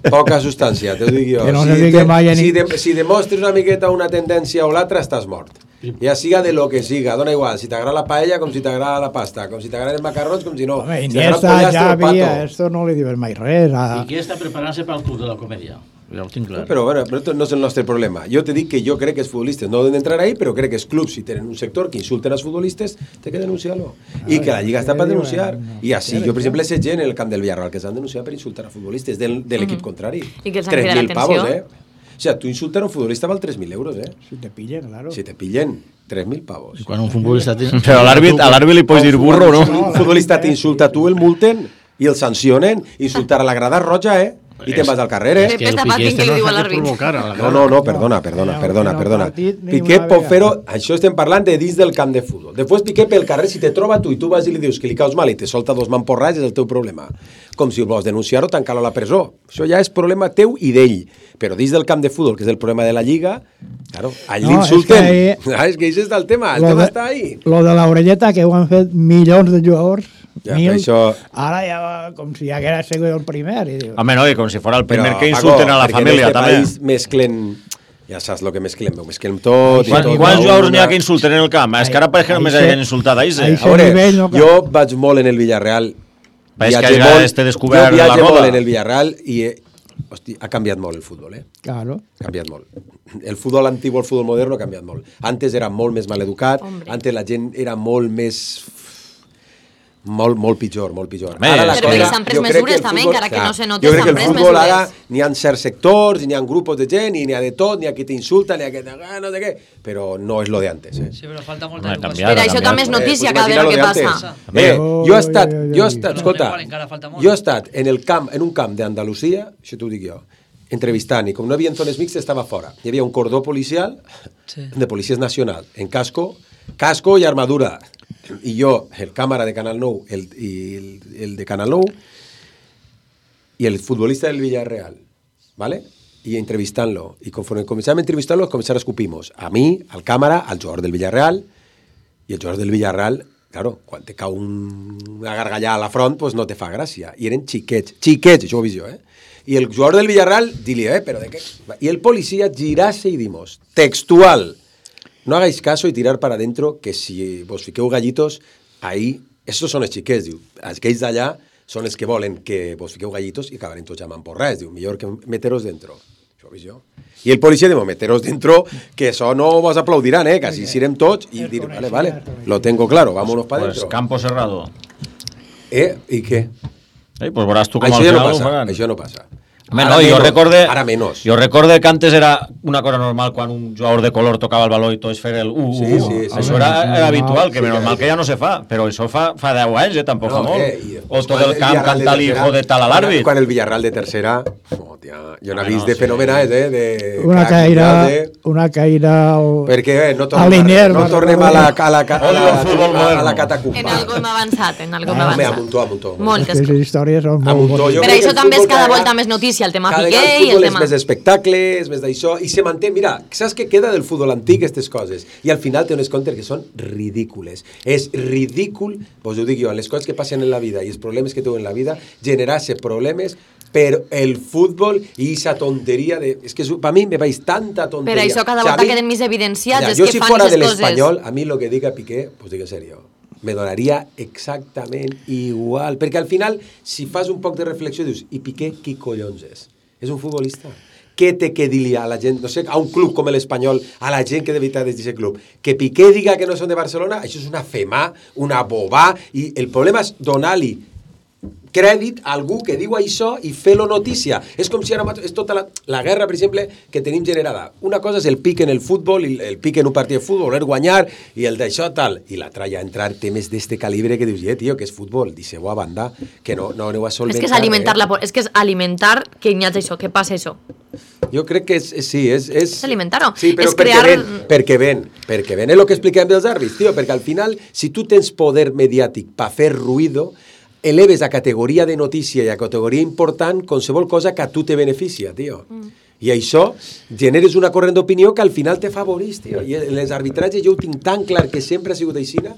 Poca substància, t'ho dic jo. Que no si, te, mai si, de, si demostres una miqueta una tendència o l'altra, estàs mort. Ja siga de lo que siga, dona igual, si t'agrada la paella com si t'agrada la pasta, com si t'agraden els macarrons com si no. Home, si Iniesta, Xavi, esto no li diuen mai res. A... I qui està preparant-se pel club de la comèdia? Ja ho tinc clar. No, però bueno, però no és el nostre problema. Jo te dic que jo crec que els futbolistes no han d'entrar ahí, però crec que els clubs, si tenen un sector que insulten als futbolistes, té que denunciar-lo. I que la Lliga està per denunciar. I així, jo per exemple sé gent en el camp del Villarreal que s'han denunciat per insultar a futbolistes del, de l'equip contrari. I que els han cridat l'atenció. Pavos, eh? O sea, tu insultar a un futbolista val tres mil euros, eh? Si te pillen, claro. Si te pillen, tres mil pavos. I quan un futbolista... Però a l'àrbit li pots dir burro, no? Un futbolista t'insulta, tu el multen i el sancionen. Insultar a la grada roja, eh? I te'n vas al carrer, eh? Pepe està patint que li diu a l'àrbit. No, no, no, perdona, perdona, perdona, perdona. Piqué pot fer-ho, això estem parlant de dins del camp de futbol. Després Piqué pel carrer, si te troba tu i tu vas i li dius que li caus mal i te solta dos mamporrats, és el teu problema. Com si vols denunciar-ho, tancar-lo a la presó. Això ja és problema teu i d'ell. Però dins del camp de futbol, que és el problema de la Lliga, claro, allà no, l'insulten. És que, ah, és que això està el tema, el tema de, està ahí. Lo de l'orelleta, que ho han fet milions de jugadors, ja, mil, això... ara ja va com si ja hagués sigut el primer. I diu... Home, no, i com si fos el primer Però, que insulten Paco, a la família, també. País mesclen Ja saps el que mesclem, ho mesclem tot... Quan, tot quants jugadors una... n'hi ha que insulten en el camp? És que ara pareix que només havien insultat a Ise. A veure, jo vaig molt en el Villarreal. Pareix que ja este descobert jo la viatge roda. molt en el Villarreal i he, hosti, ha canviat molt el futbol, eh? Claro. Ha canviat molt. El futbol antic o el futbol moderno ha canviat molt. Antes era molt més maleducat, antes la gent era molt més... Molt, molt pitjor, molt pitjor. Ara la però cosa, s'han pres mesures també, futbol, encara que no se noti, jo crec que el futbol mesures. ara n'hi ha certs sectors, n'hi ha grupos de gent, i n'hi ha de tot, n'hi ha qui t'insulta, n'hi ha qui ah, no sé què, però no és lo de antes. Eh? Sí, però falta molta no, educació. Però això també és notícia, eh, cada vegada que passa. Eh, jo he estat, jo he estat, escolta, jo he estat en el camp, en un camp d'Andalusia, això t'ho dic jo, entrevistant, i com no hi havia zones mixtes, estava fora. Hi havia un cordó policial, sí. de policies nacional, en casco, casco i armadura. I jo, el càmera de Canal nou el, i el, el de Canal nou i el futbolista del Villarreal, ¿vale? I entrevistant-lo. I conforme començàvem a entrevistar-lo, començar a escupir-nos. A mi, al càmera, al jugador del Villarreal, i el jugador del Villarreal, claro, quan te cau un, una gargallada a la front, pues no te fa gràcia. I eren xiquets, xiquets, això ho he vist jo, eh? I el jugador del Villarreal, dili, eh, però de què? I el policía girase y dimos, textual, no hagáis caso y tirar para adentro, que si vos fiqueu gallitos, ahí, estos són els xiquets, diu, aquells d'allà són els que volen que vos fiqueu gallitos i acabarem tots llamant porrets, diu, millor que meteros dentro. Això ho he vist jo. I el policia diu, meteros dentro, que això no vos aplaudiran, eh, que així sirem tots, i dir, vale, vale, lo tengo claro, vámonos para pues dentro. Campo cerrado. Eh, i què? Eh, pues veuràs tu com això al ja final no ho passa, faran. això no passa. Home, Ara no, jo menos, recorde, ara menos. Jo recorde que antes era una cosa normal quan un jugador de color tocava el baló i tots fer el uh, uh, Sí, uh. sí, sí. Això era, era habitual, que Sí, menos que- mal que ja no se fa, però això fa, fa deu anys, eh, tampoc No, fa molt. eh, i O tot quan el camp Villarreal de cantar tercera- l'hijo de tal a l'àrbit. Quan el Villarreal de tercera, oh, tia, jo n'he Ah, vist no, de sí. fenomenals, eh, de Una crac, caïra, de... una caïra al... Perquè eh, no a tornem, l'Iner, no me'n tornem a la, a la, a la, Odio el futbol a la, moderno. a la catacumba. En algo hem avançat, en algo hem Home, a avançat. muntó, a muntó. Moltes Aquestes històries són A molt muntó, boniques. jo Per crec que això el també és futbol cada cada volta més notícia, el tema Cada Piqué vegada el i el futbol és tema... més espectacles, més d'això, i se manté, mira, saps què queda del futbol antic, aquestes coses? I al final té unes contes que són ridícules. És ridícul, vos ho dic jo, les coses que passen en la vida i els problemes que tenen en la vida, generar-se problemes per el futbol i aquesta tonteria de... És que per mi me veig tanta tonteria. Per això cada O sea, volta a mi- queden més evidenciats, Mira, és jo que si fan fora de aquestes coses. l'Espanyol, a mi lo que diga Piqué, pues dic en serio, me donaria exactament igual. Perquè al final, si fas un poc de reflexió, dius, i Piqué qui collons és? És un futbolista. Què té que dir-li a la gent, no sé, a un club com l'Espanyol, a la gent que de veritat és d'aquest club? Que Piqué diga que no són de Barcelona, això és una femà, una bobà, i el problema és donar-li crèdit a algú que diu això i fer-lo notícia. És com si ara mat- és tota la, la guerra, per exemple, que tenim generada. Una cosa és el pic en el futbol, i el pic en un partit de futbol, voler guanyar, i el d'això tal. I l'altra ja entrar temes d'este calibre que dius, eh, tio, que és futbol, deixeu a banda, que no, no aneu a solventar. És que és alimentar la por, és que és alimentar que hi ha això, que passa això. Jo crec que és, és- sí, és... És, És alimentar-ho. Sí, però És perquè crear... ven, perquè ven, perquè ven. És el que expliquem dels àrbits, tio, perquè al final, si tu tens poder mediàtic per fer ruïdo, eleves a categoria de notícia i a categoria important qualsevol cosa que a tu te beneficia, tio. Mm. I això generes una corrent d'opinió que al final te favorís, tio. I en les arbitratges jo ho tinc tan clar que sempre ha sigut aixina.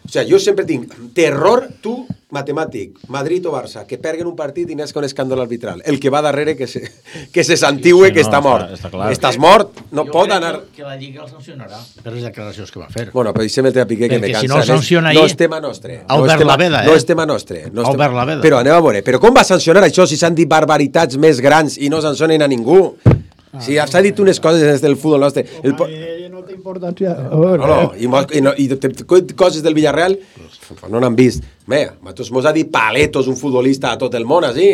O sigui, jo sempre tinc terror, tu, matemàtic, Madrid o Barça, que perguen un partit i n'és con escàndol arbitral. El que va darrere que se, que se santigüe, Sí, que no, està està- mort. està clar. Estàs mort, no Jo pot crec anar... Que, que la Lliga el sancionarà per les declaracions que va fer. Bueno, però deixem el tema Piqué, que Perquè me cansa. si no el sanciona no ahir, és tema nostre. ha no obert és tema, la veda, eh? No és tema nostre. No és Ha tema... obert la veda. Però aneu a veure, però com va sancionar això si s'han dit barbaritats més grans i no sancionen a ningú? Si s'ha dit unes coses des del futbol nostre. El... po- No té importància. No, no, i, mos- i, no, i te- te- coses del Villarreal no n'han vist. Bé, nosaltres mos ha dit paletos un futbolista a tot el món, així.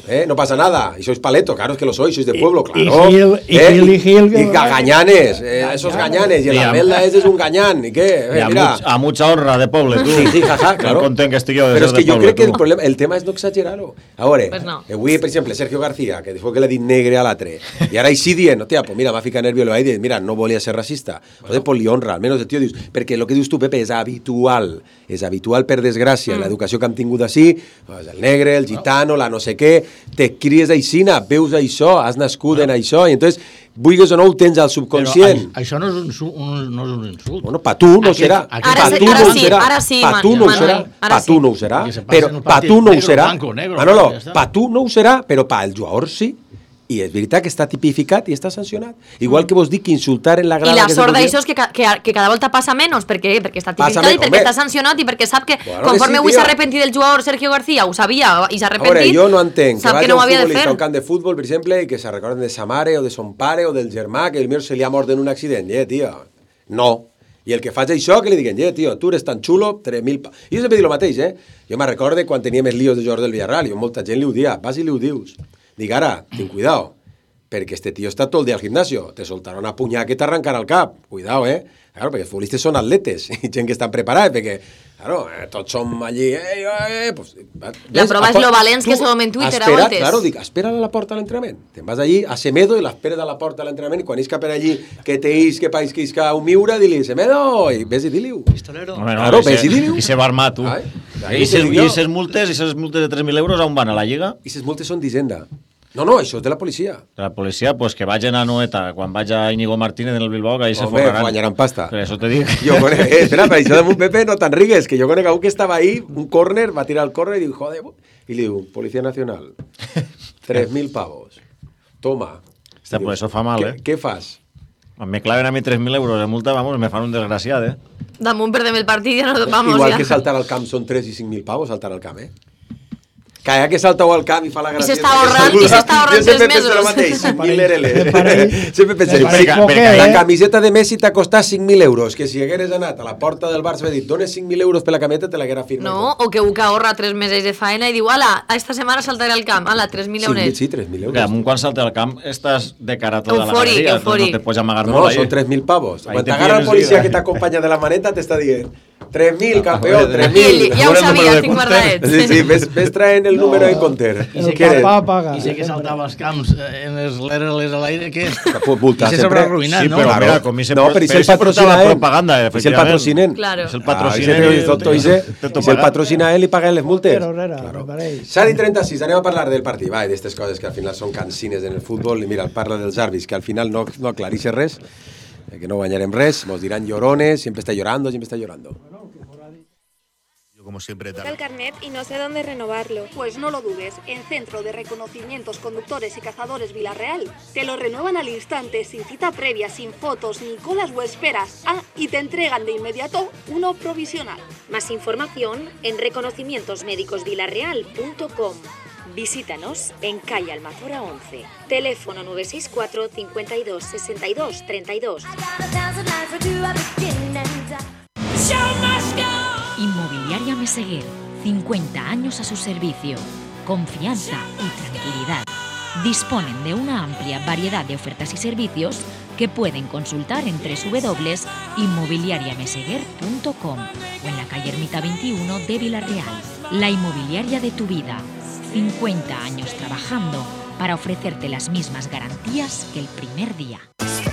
Eh, no pasa nada, y sois paleto, claro, es que lo sois, sois de pueblo, Y- y claro. Gil- y eh, Gil- y Gil- y ga- gañanes, eh, esos gañanes, y el Y a- Abelda ese es un gañán, ¿y qué? Eh, I a, mira. much, a mucha honra de poble, tu. Sí, sí, jaja, claro. Que content que estigui de Però ser és que de jo poble, crec que tu. el problema, el tema és no exagerar-ho. A veure, Pues no. avui, per exemple, Sergio García, que diu que l'ha dit negre a l'altre, i ara així dient, hòstia, pues mira, m'ha ficat nervio, lo ha dit, mira, no volia ser racista. Joder, pues li honra, almenys el tio dius, perquè el que dius tu, Pepe, és habitual, és habitual, per desgràcia, Mm. l'educació que hem tingut així, pues, el negre, el gitano, la no sé què, te cries aixina, veus això, has nascut en això, i entonces, vulguis o no, ho tens al subconscient. Però això no és un, su- un, no és un insult. Bueno, pa tu no Aquest- serà. aquest- Ara Pa sí, tu ara no ho sí, serà. ara sí, Pa tu no ho Manuel, serà. ara Pa tu sí. no ho serà. Que se passa Però en un pa partit tu no ho negro, serà. blanco, negro, Manolo, ja està. pa tu no ho serà, però pa el jugador sí. I és veritat que està tipificat i està sancionat. Igual que vos dic que insultar en la grada... I la sort d'això és que, que, que cada volta passa menys, perquè, perquè està tipificat i perquè està sancionat i perquè sap que bueno, conforme avui sí, s'ha arrepentit del jugador Sergio García, ho sabia i s'ha arrepentit, veure, jo no entenc sap que, que no ho havia de fer. A un camp de futbol, per exemple, i que se recorden de sa mare o de son pare o del germà que el meu se li ha mort en un accident. Eh, tia, no. I el que faig això, que li diguen, eh, tio, tu eres tan xulo, tres mil... Pa... I jo sempre dic el mateix, eh? Jo me'n recorde quan tenia més líos de jugadors del Villarreal, i molta gent li ho dia, vas i li ho dius. Dic, ara, ten cuidao, perquè este tio està tot el dia al gimnasio, te soltarà una punyada que t'arrencarà el cap, cuidao, eh? Claro, perquè els futbolistes són atletes, i gent que estan preparats, perquè, claro, eh, tots som allí, eh, eh, pues, la prova és lo valents que som en Twitter espera, a voltes. Claro, dic, espera a la porta a l'entrenament. Te'n vas allí a Semedo i l'esperes a la porta a l'entrenament i quan isca per allí que te isque, país que isca un miura, dili, Semedo, i ves i dili-ho. Pistolero. No, no, claro, ves i dili-ho. I se va armar, tu. Ai, I ses multes, i ses multes de tres mil euros on van, a la Lliga? I ses multes són d'Hisenda. No, no, això és de la policia. De la policia, pues que vagin a Noeta, quan vaig a Íñigo Martínez en el Bilbao, que ahí se forraran. Home, guanyaran pasta. Per això te dic. Jo conec, eh, espera, per això damunt Pepe no te'n rigues, que jo conec a un que estava ahí, un córner, va tirar el córner i diu, joder, i li diu, Policía Nacional, tres mil pavos, toma. Hòstia, pues eso fa mal, eh? Què fas? Me claven a mi tres mil euros de multa, vamos, me fan un desgraciat, eh? Damunt perdem el partit i ja no vamos. Igual ja. que saltar al camp són tres i cinc mil pavos, saltar al camp, eh? Que ja que saltau al camp i fa la gràcia... I s'està ahorrant, i s'està ahorrant tres mesos. Jo sempre penso el mateix, cinc mil R L. Sempre penso, la camiseta de Messi t'ha costat cinc mil euros, que si hagueres anat a la porta del Barça i dit, dones cinc mil euros per la camiseta, te l'haguera firmat. No, o que un que ahorra tres mesos de faena i diu, ala, esta setmana saltaré al camp, ala, tres mil euros. Sí, tres mil euros. Que amunt quan salta al camp estàs de cara a tota la eufòric, galeria, eufòric. no te pots amagar no, molt. No, són tres mil pavos. Quan t'agarra el policia que t'acompanya de la maneta, t'està dient tres mil, campeón, tres mil. Ja ho sabia, tinc guardadet. Sí, sí, ves, ves traient el número de Conter. El papà paga. I sé que saltava als camps en els l'R Ls a l'aire, que és... I se sobre arruïnat, sí, no? Però mira, com no, però i si el patrocina la propaganda, i si el patrocinen. Claro. Si el patrocinen. I si el patrocina ell i paga les multes. Claro. set i trenta-sis, anem a parlar del partit. Va, d'aquestes coses que al final són cansines en el futbol. I mira, parla dels àrbits, que al final no, no aclarixen res, que no guanyarem res, nos diran llorones, siempre está llorando, siempre está llorando. Como siempre, el carnet y no sé dónde renovarlo. Pues no lo dudes, en Centro de Reconocimientos Conductores y Cazadores Villarreal te lo renuevan al instante, sin cita previa, sin fotos, ni colas o esperas. Ah, y te entregan de inmediato uno provisional. Más información en reconocimientos médicos villarreal punto com. Visítanos en calle Almazora once. Teléfono nueve seis cuatro, cincuenta y dos, sesenta y dos, treinta y dos. Inmobiliaria Meseguer, cincuenta años a su servicio, confianza y tranquilidad. Disponen de una amplia variedad de ofertas y servicios que pueden consultar en doble u doble u doble u punto inmobiliaria meseguer punto com o en la calle Ermita veintiuno de Villarreal. La inmobiliaria de tu vida, cincuenta años trabajando para ofrecerte las mismas garantías que el primer día.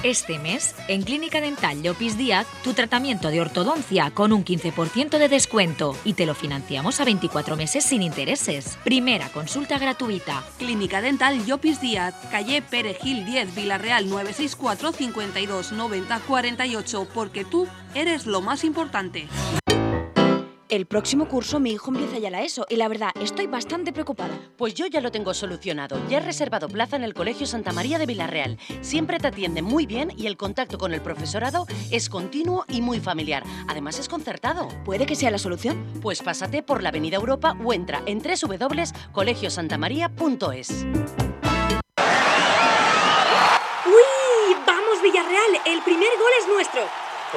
Este mes, en Clínica Dental Llopis Díaz, tu tratamiento de ortodoncia con un quince por ciento de descuento y te lo financiamos a veinticuatro meses sin intereses. Primera consulta gratuita. Clínica Dental Llopis Díaz, calle Perejil diez, Villarreal nueve seis cuatro, cincuenta y dos, noventa, cuarenta y ocho, porque tú eres lo más importante. El próximo curso mi hijo empieza ya la ESO y la verdad estoy bastante preocupada. Pues yo ya lo tengo solucionado. Ya he reservado plaza en el Colegio Santa María de Villarreal. Siempre te atienden muy bien y el contacto con el profesorado es continuo y muy familiar. Además es concertado. ¿Puede que sea la solución? Pues pásate por la Avenida Europa o entra en doble u doble u doble u punto colegio santa maría punto es. ¡Uy! ¡Vamos, Villarreal! El primer gol es nuestro.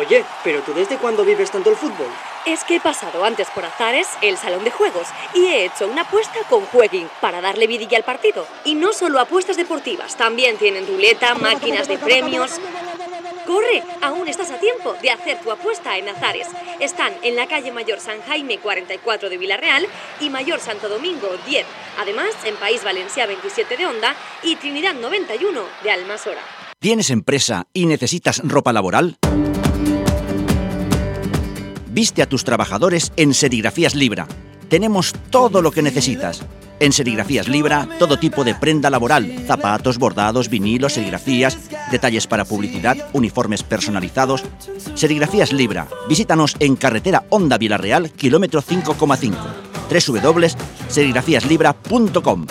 Oye, ¿pero tú desde cuándo vives tanto el fútbol? Es que he pasado antes por Azares, el salón de juegos, y he hecho una apuesta con Jueguin para darle vidilla al partido. Y no solo apuestas deportivas, también tienen ruleta, máquinas de premios... ¡Corre! Aún estás a tiempo de hacer tu apuesta en Azares. Están en la calle Mayor San Jaime cuarenta y cuatro de Villarreal y Mayor Santo Domingo diez. Además, en País Valencià veintisiete de Onda y Trinidad noventa y uno de Almasora. ¿Tienes empresa y necesitas ropa laboral? Viste a tus trabajadores en Serigrafías Libra. Tenemos todo lo que necesitas. En Serigrafías Libra, todo tipo de prenda laboral, zapatos, bordados, vinilos, serigrafías, detalles para publicidad, uniformes personalizados. Serigrafías Libra. Visítanos en carretera Onda Villarreal, kilómetro cinco coma cinco. doble u doble u doble u punto serigrafías libra punto com.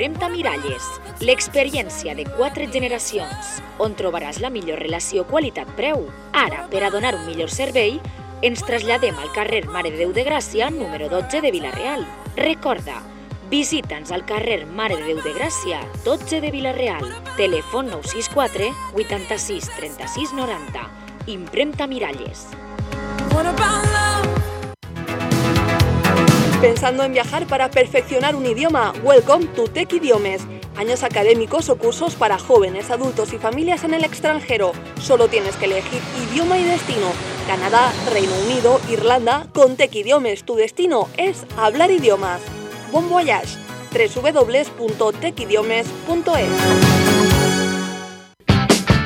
Impremta Miralles, l'experiència de quatre generacions, on trobaràs la millor relació qualitat-preu. Ara, per a donar un millor servei, ens traslladem al carrer Mare de Déu de Gràcia, número dotze de Vila-real. Recorda, visita'ns al carrer Mare de Déu de Gràcia, dotze de Vila-real. Telèfon nou sis quatre vuitanta-sis trenta-sis noranta. Impremta Miralles. ¿Pensando en viajar para perfeccionar un idioma? Welcome to Tech Idiomes. Años académicos o cursos para jóvenes, adultos y familias en el extranjero. Solo tienes que elegir idioma y destino. Canadá, Reino Unido, Irlanda. Con Tech Idiomes tu destino es hablar idiomas. Bon voyage. doble u doble u doble u punto tech idiomes punto es.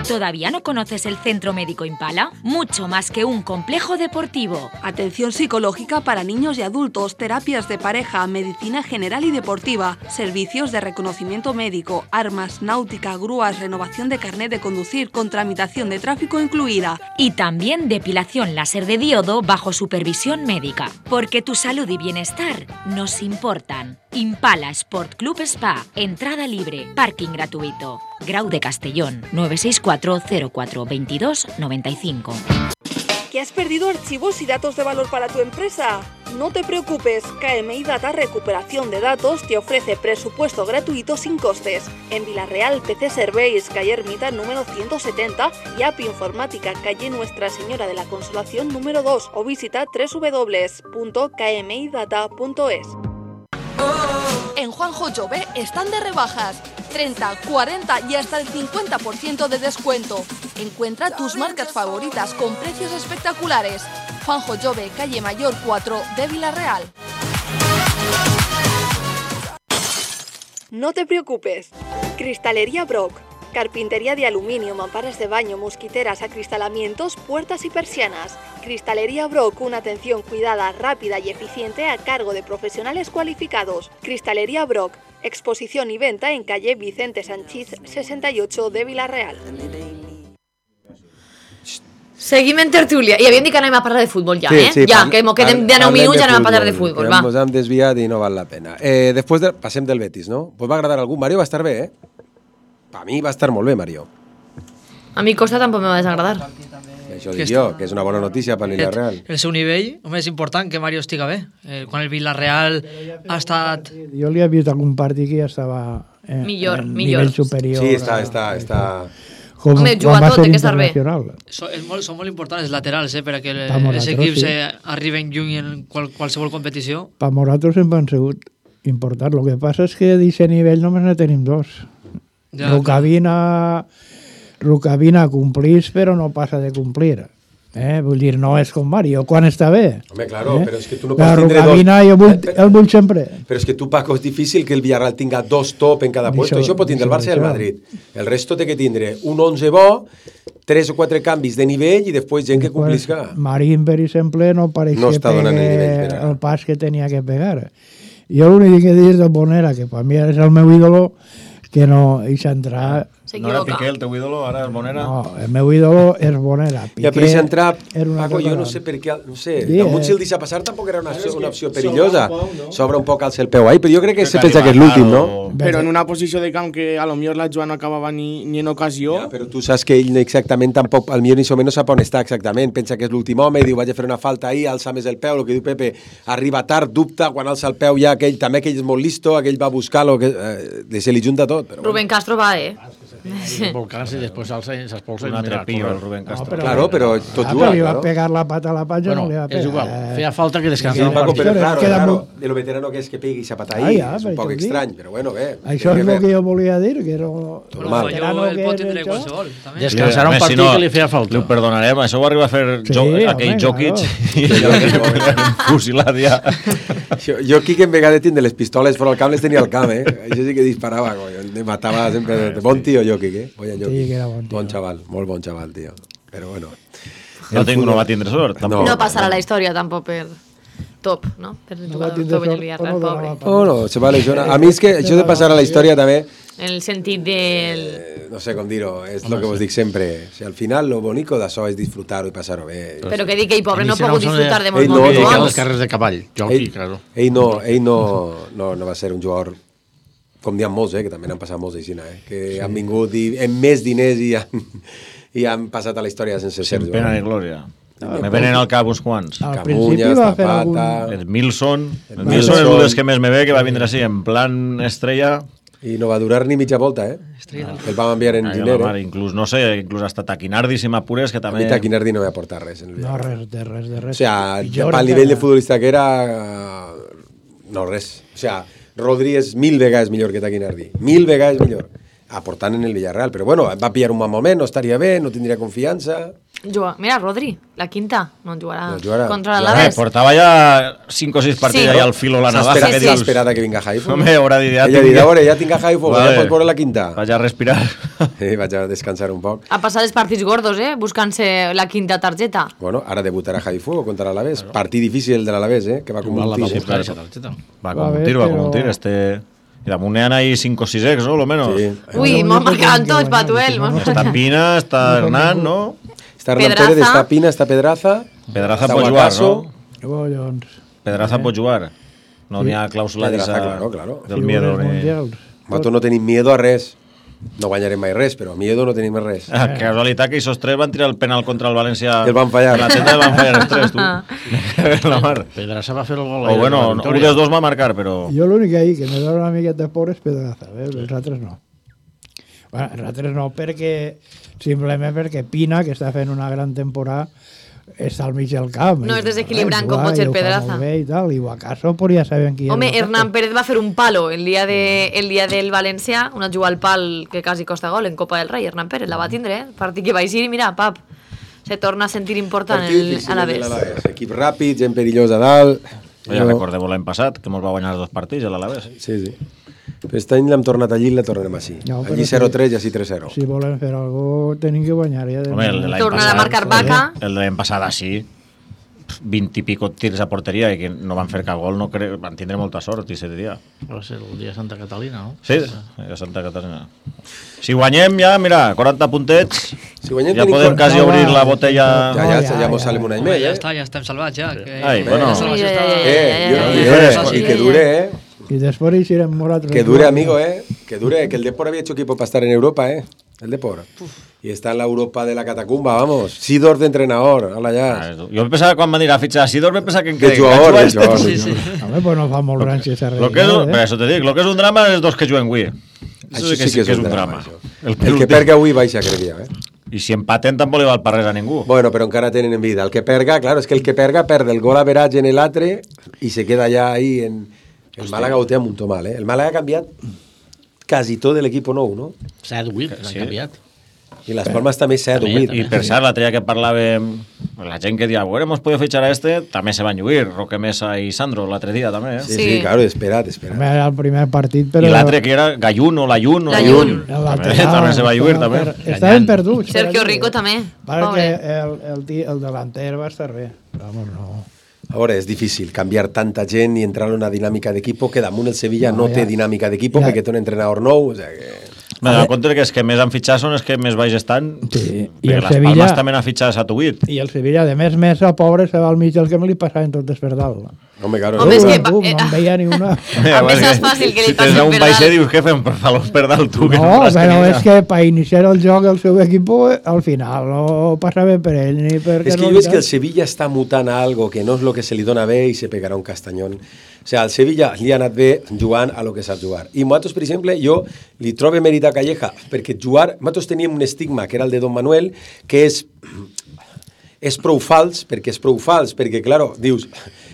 ¿Todavía no conoces el Centro Médico Impala? Mucho más que un complejo deportivo. Atención psicológica para niños y adultos, terapias de pareja, medicina general y deportiva, servicios de reconocimiento médico, armas, náutica, grúas, renovación de carnet de conducir con tramitación de tráfico incluida. Y también depilación láser de diodo bajo supervisión médica. Porque tu salud y bienestar nos importan. Impala Sport Club Spa. Entrada libre. Parking gratuito. Grau de Castellón. nueve seis cuatro cero cuatro veintidós noventa y cinco. ¿Que has perdido archivos y datos de valor para tu empresa? No te preocupes, K M I Data Recuperación de Datos te ofrece presupuesto gratuito sin costes. En Vila-real, P C Serveis, calle Ermita número ciento setenta y App Informática, calle Nuestra Señora de la Consolación número dos o visita doble u doble u doble u punto k m i data punto es. En Juanjo Jove están de rebajas. treinta, cuarenta y hasta el cincuenta por ciento de descuento. Encuentra tus marcas favoritas con precios espectaculares. Juanjo Jove, calle Mayor cuatro de Vila-real. No te preocupes. Cristalería Brock. Carpintería de aluminio, mamparas de baño, mosquiteras, acristalamientos, puertas y persianas. Cristalería Brock, una atención cuidada, rápida y eficiente a cargo de profesionales cualificados. Cristalería Brock, exposición y venta en calle Vicente Sanchís sesenta y ocho de Vila-real. Seguim en tertúlia. I havíem dit que anem a parlar de futbol ja, sí, eh? Sí, ja, par- que mo quedem de nou minuts i anem a parlar de futbol, va. Ens hem desviat i no val la pena. Eh, després de, passem del Betis, no? Pues va agradar a algú. Mario va estar bé, eh? Per mi va estar molt bé, Mario. A mi Costa tampoc me va desagradar. Això dic jo, que és una bona notícia per l'Villarreal. El seu nivell, home, és important que Mario estiga bé. Eh, quan el Villarreal ha estat... Jo li he vist algun partit que ja estava en, Millor, en millor. nivell superior. Sí, està, està, està... Com, Home, quan juga va tot, ser té que estar bé. internacional. So, és molt, són molt importants els laterals, eh, perquè el, Pa Morato, els equips sí. eh, arriben lluny en qual, qualsevol competició. Per nosaltres sempre han sigut importants. El que passa és que d'aquest nivell només ne tenim dos. Ja, Rukavina, Rukavina complís, però no passa de complir. Eh? Vull dir, no és com Mario, quan està bé. Home, claro, eh? però és que tu no La pots tindre Rukavina dos... jo vull, el vull sempre. Però és que tu, Paco, és difícil que el Villarreal tinga dos top en cada puesto. Això, això pot tindre el Barça i el Madrid. El resto té que tindre un onze bo, tres o quatre canvis de nivell i després gent que complisca. Marín, per exemple, no pareix No que està donant el nivell pegue per ara. el pas que tenia que pegar. Jo l'únic que dic de Bonera, que per mi és el meu ídolo, que no hi s'entra... No era Piqué el teu ídolo, ara és Bonera? No, el meu ídolo és Bonera. Ja, però si entrar, era una Paco, cosa jo no gran. sé per què, no sé, Sí, damunt eh. si el deixa passar tampoc era una opció, una opció perillosa. S'obre un poc alça el peu ahí, però jo crec que se pensa que és l'últim, no? Però en una posició de camp que a lo millor la jugada no acabava ni, ni en ocasió. Ja, però tu saps que ell exactament tampoc, al millor ni so menys sap on està exactament, pensa que és l'últim home i diu vaig a fer una falta ahí, alça més el peu, el que diu Pepe, arriba tard, dubta, quan alça el peu ja aquell, també aquell és molt listo, aquell va buscar-lo, que, eh, se li junta tot. Però Rubén Castro va, eh? Volcans i després alça i s'espolsa. Un altre pillo, el Rubén Castro. però- Claro, però tot Ah, juga, però li va claro. pegar la pata a la panxa, Bueno, no li va és pegar. igual. Feia falta que descansés Sí, el Paco, partit. però claro, Queda claro, molt- de lo veterano que és que pegui esa pata Ah, ahí, ja, és un per poc això dic. estrany, però bueno, bé. Això és el que jo volia dir, que era un Normal. veterano Jo el que pot és tindre això. qualsevol, també. Descansar un Home, partit si no, que li feia falta. Li ho perdonarem, això ho arriba a fer Sí, jo, home, aquell Jokic claro. i allò fusilat ja. Jo, jo aquí que en vegades tindre les pistoles fora al camp les tenia al camp, eh? Això sí que disparava, coño. Me matava sempre. De bon tio, Jokic, eh? Oye, Jokic. Sí, que era bon tio. Bon xaval, molt bon xaval, tio. Però bueno. No, tinc, no va tindre sort, tampoc. No passarà la història tampoc per top, no? Per jugar tindre top en el sort, Villarreal, o no pobre. donava Oh, no, se va lesionar. A mi és que això de passar a la història també, En el sentit del... eh, no sé com dir-ho, és el que vos dic sempre. Si al final lo bonico d'això és disfrutar-ho i passar-ho bé. Però que dic que ell, pobre, no ha Iniciar pogut un son de- disfrutar de Ell molts no, moments no, Dedicar bons. les carreres de cavall. Jokic, Ell, claro. ell, no, ell no, no, no va ser un jugador com diuen molts, eh, que també n'han passat molts d'aixina, eh, que sí. han vingut i, amb més diners i han, i han passat a la història sense ser. Sin pena ni glòria. No, me venen al cap uns quants. Camunya, Zapata... El Milson. El Milson és un dels que més me ve, que va vindre així en plan estrella. I no va durar ni mitja volta, eh? El vam enviar en Giner, eh? Inclús, no sé, inclús hasta Taquinardi, si m'apures, que també... A mi Taquinardi no va aportar res. En el no, res, de res, de res. O sea, pel nivell de futbolista que era... No, res. O sea, Rodri és mil vegades millor que Taquinardi. Mil vegades millor. Aportant en el Villarreal. Però bueno, va pillar un mal moment, no estaria bé, no tindria confiança... Juga. Mira, Rodri, la quinta, no jugarà, no jugarà. contra l'Alaves. Eh, portava ja cinc o sis partits sí. al filo la navaja. S'ha esperat que vinga Haifu. Home, haurà dit, ja Ella dirà, a veure, ja tinc a Haifu, vale. Ja pots veure la quinta. Vaig a respirar. Sí, vaig a descansar un poc. Ha passat els partits gordos, eh, buscant-se la quinta targeta. Bueno, ara debutarà Haifu contra l'Alaves. Claro. Partit difícil de l'Alaves, eh, que va com un tir. Sí, claro. Va com un tir, va com un tir, este... I damunt n'hi ha ahí cinc o sis ex, no? Lo menos. Sí. Ui, m'ho marcaran tots, Patuel. Està Pina, està Hernán, no? Està Hernán Pérez, està Pina, està Pedraza. Pedraza pot jugar, no? Bollons. Pedraza pot jugar. No n'hi ha clàusula Pedraza, claro, claro. del miedo. Nosaltres no tenim miedo a res. No guanyarem mai res, però miedo no tenim res. Ah, casualitat que aquests tres van tirar el penal contra el València. El van fallar. La tenda van fallar els tres, tu. La mar. Pedraza va fer el gol. O bueno, un dels dos va marcar, però... Jo l'únic ahí que me dona una miqueta de por és Pedraza, eh? Els altres no. Bueno, els altres no, perquè simplement perquè Pina, que està fent una gran temporada, està al mig del camp. No és desequilibrant com pot ser Pedraza. I tal, i acaso pues ja saben qui Home, Hernán Pérez va fer un palo el dia, de, el dia del València, una jugada al pal que quasi costa gol en Copa del Rei. Hernán Pérez la va tindre, eh? Partit que va eixir i mira, pap, se torna a sentir important el Alavés. Equip ràpid, gent perillós a dalt. Ja no... recordeu l'any passat, que mos va guanyar dos partits a l'Alavés. Sí, sí. Però aquest any l'hem tornat allí i la tornarem així. No, allí zero tres i així tres zero. Si volen fer alguna cosa, tenim que guanyar. Ja Home, tornar a marcar vaca. El de l'any passat així, vint i pico tirs a porteria i que no van fer cap gol, no cre... van tindre molta sort i set dia. Va ser el dia de Santa Catalina, no? Sí, a Santa Catalina. Si guanyem ja, mira, quaranta puntets, si guanyem, ja podem quasi no, obrir la botella... Ja, ja, ja, ja mos salem un any més, eh? Ja està, ja estem salvats, ja. Que... Ai, bueno... Eh, i que dure, eh? Y después hicieron morat. Que dure, amigo, eh. Que dure, que el Depor había hecho equipo para estar en Europa, eh. El Depor. Y está en la Europa de la catacumba, vamos. Sidor de entrenador, hola ya. Yo pensaba cuando me dirá fichar a Sidor, me pensaba que en que jugador, este. jugador. Sí, sí. A ver, pues no fa molt gran si esa lo que es, eh? Pero eso te digo, lo que es un drama es dos que juguen avui. Eso sí que, sí que és un drama. El, el que perga avui baixa, crec eh? I si empaten tampoc li val per res a ningú. Bueno, però encara tenen en vida. El que perga, claro, és que el que perga perde el gol average en l'altre i se queda ja ahí en... El Màlaga ho té amb un to mal, eh? El Màlaga ha canviat quasi tot de l'equip nou, no? S'ha duit, l'han sí. canviat. I les Palmes també s'ha duit. I per cert, l'altre dia que parlàvem, la gent que dia, bueno, hemos podido fichar a este, també se van lluir, Roque Mesa i Sandro, l'altre dia també, eh? Sí, sí, sí, claro, esperat, esperat. Era el primer partit, però... I l'altre que era Gallun o Layun. Layun. També, també se va lluir, també. Estaven perduts. Sergio Rico també. Perquè el, el, el delanter va estar bé. Vamos, no... Ahora és difícil canviar tanta gent i entrar en una dinàmica d'equip que damunt el Sevilla no, no ja. té dinàmica d'equip ja. perquè té un entrenador nou, o sea que... Me dono compte que els que més han fitxat són els que més baix estan, sí. I el les Sevilla... Palmes també han fitxat a Tuit. I el Sevilla, de més, més el pobre se va al mig del que me li passaven tot desperdat. Home, claro. Home, és que... Tu, no em veia ni una... A més és fàcil que li si tens un baixer dius que fem per los per dalt tu. No, no però és que per iniciar el joc el seu equip al final no passava per ell ni per... És que jo veig que el Sevilla està mutant a algo que no és el que se li dona bé i se pegarà un castanyón. O sigui, al Sevilla li ha anat bé jugant a lo que sap jugar. I nosaltres, per exemple, jo li trobo mèrit a Calleja, perquè jugar... Nosaltres teníem un estigma, que era el de Don Manuel, que és... és prou fals, perquè és prou fals, perquè, claro, dius,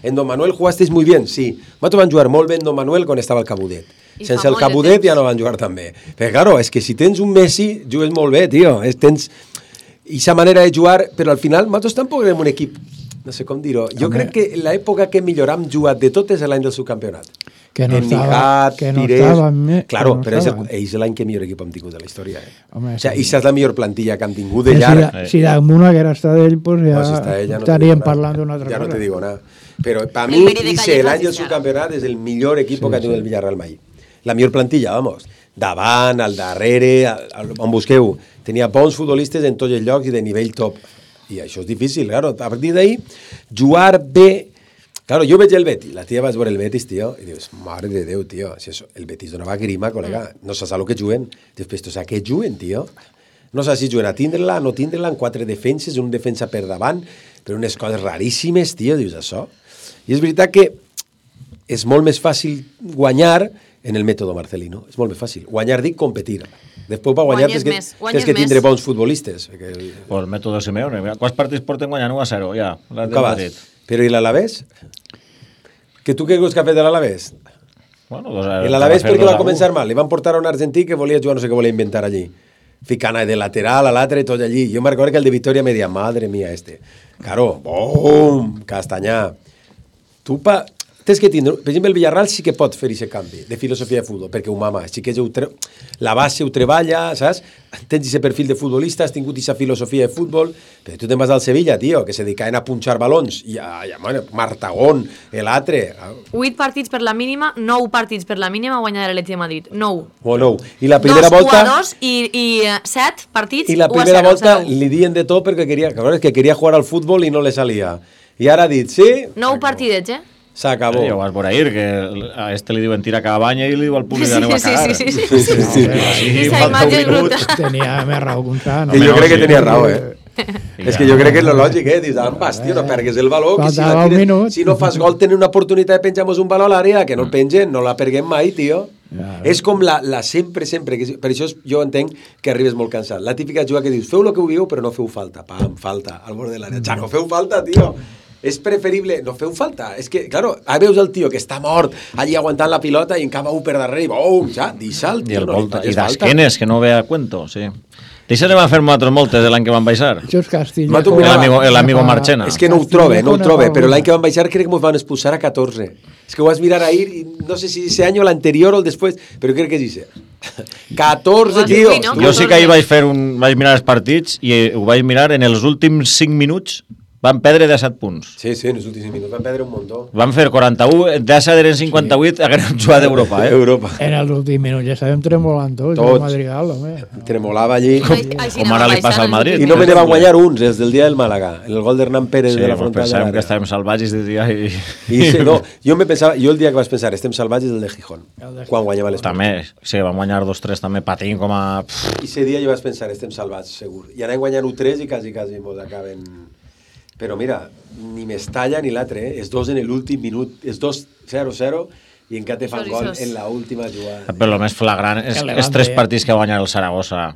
en Don Manuel jugasteis muy bien, sí. Nosaltres van jugar molt bé en Don Manuel quan estava el Cabudet. I sense el Cabudet ja no van jugar tan bé. Però, claro, és que si tens un Messi, jugues molt bé, tio. És, tens aquesta manera de jugar, però al final nosaltres tampoc érem un equip, no sé com dir-ho. Jo Home. crec que l'època que millor hem jugat de tot és l'any del subcampionat. Que no en estava, Nihat, que no Pires... estava me, claro, no però és, estava. és l'any que millor equip hem tingut de la història. Eh? Home, o sigui, sí. És la millor plantilla que hem tingut de llarg. Si, si damunt haguera estat ell, pues ja, no, si està ell, ja no estaríem parlant d'una altra ja cosa. Ja no te digo nada. Però per mi, l'any del subcampionat és el millor equip sí, que ha tingut sí. el Villarreal mai. La millor plantilla, vamos. Davant, al darrere, al, on busqueu. Tenia bons futbolistes en tots els llocs i de nivell top. I això és difícil, claro. A partir d'ahí, jugar bé Claro, jo veig el Betis, la tia vas veure el Betis, tio, i dius, mare de Déu, tio, si això, el Betis donava grima, col·lega, no saps el que juguen. Després, tu saps què juguen, tio? No saps si juguen a tindre-la, no tindre-la, en quatre defenses, un defensa per davant, però unes coses raríssimes, tio, dius això. I és veritat que és molt més fàcil guanyar en el mètode Marcelino, és molt més fàcil. Guanyar, dic, competir. Després per guanyar tens que, tens que tindre bons futbolistes. Que... Pues el mètode Simeone, quants partits porten guanyant u a zero, ja. Però i l'Alavés? Que tu què creus que ha fet l'Alavés? Bueno, doncs, l'Alavés perquè va començar mal. Li van portar a un argentí que volia jugar, no sé què volia inventar allí. Ficant de lateral a l'altre, tot allí. Jo me recordo que el de Victoria me deia, madre mía, este. Claro, bum, Castanyà. Tu pa... Tens que tindre... Per exemple, el Villarreal sí que pot fer aquest canvi de filosofia de futbol, perquè ho mama, sí que tre... la base ho treballa, saps? Tens aquest perfil de futbolista, has tingut aquesta filosofia de futbol, però tu te'n vas al Sevilla, tio, que se dedicaven a punxar balons, i a, a bueno, Martagón, l'altre... Vuit partits per la mínima, nou partits per la mínima guanyar l'Atleti de Madrid, nou. O nou. I la primera dos, volta... Dos, u a dos, i, i set partits, I la primera volta li diuen de tot perquè queria, que queria jugar al futbol i no le salia. I ara ha dit, sí... Nou partidets, eh? S'acabó. Ja ho vas veure ahir, que a este li diuen tira cada banya i li diu al públic sí, aneu a cagar. Sí, sí, sí. sí, sí, sí. sí. falta un minut. Tenia més raó que un sant. No, jo crec que tenia raó, eh? És que jo crec que és lo lògic, eh? Dius, ambas, tio, no pergues el valor, que si, la tires, si no fas gol tenen una oportunitat de penjar-nos un valor a l'àrea, que no el pengen, no la perguem mai, tio. És com la, la sempre, sempre, que per això jo entenc que arribes molt cansat. La típica jugada que dius, feu el que ho viu, però no feu falta. Pam, falta, al bord de l'àrea. Ja no feu falta, tio. És preferible, no feu falta, és que, claro, ara veus el tio que està mort allí aguantant la pilota i encava un per darrere i bum, ja, deixa'l, tio, I, el no volta, i d'esquenes, que no ve a cuento, sí. D'això ne van fer nosaltres moltes l'any que van baixar. Just Castilla. L'amigo Marchena. És que no ho trobe, no ho trobe, però l'any que van baixar crec que ens van expulsar a catorze. És que ho vas mirar ahir, i no sé si ese any o l'anterior o el després, però crec que és ese. catorze, tio. Jo sí que ahir vaig fer un, vaig mirar els partits i ho vaig mirar en els últims cinc minuts. Van perdre disset punts. Sí, sí, en els últims minuts van perdre un muntó. Van fer quaranta-u, d'essa eren cinquanta-vuit, sí. Hagueren jugat d'Europa, eh? Europa. En els últims minuts ja estàvem tremolant tots. Tots. El Madrigal, home. Tremolava allí. Ai, ai, Com ara li passa al Madrid. I no me ne van guanyar uns, els del dia del Màlaga. El gol d'Hernán Pérez sí, de la frontal de l'àrea. Sí, que estàvem salvatges de dia i... I sí, no, jo me pensava, jo el dia que vas pensar, estem salvatges el de Gijón, quan guanyava l'Esport. També, sí, van guanyar dos tres també patint com a... I ese dia jo vas pensar, estem salvats, segur. I anem guanyant u tres i quasi, quasi mos acaben... Però mira, ni Mestalla ni l'altre, eh? Els dos en l'últim minut, els dos zero zero i encara te fan gol en l'última jugada. Però el més flagrant és els tres partits que va guanyar el Saragossa.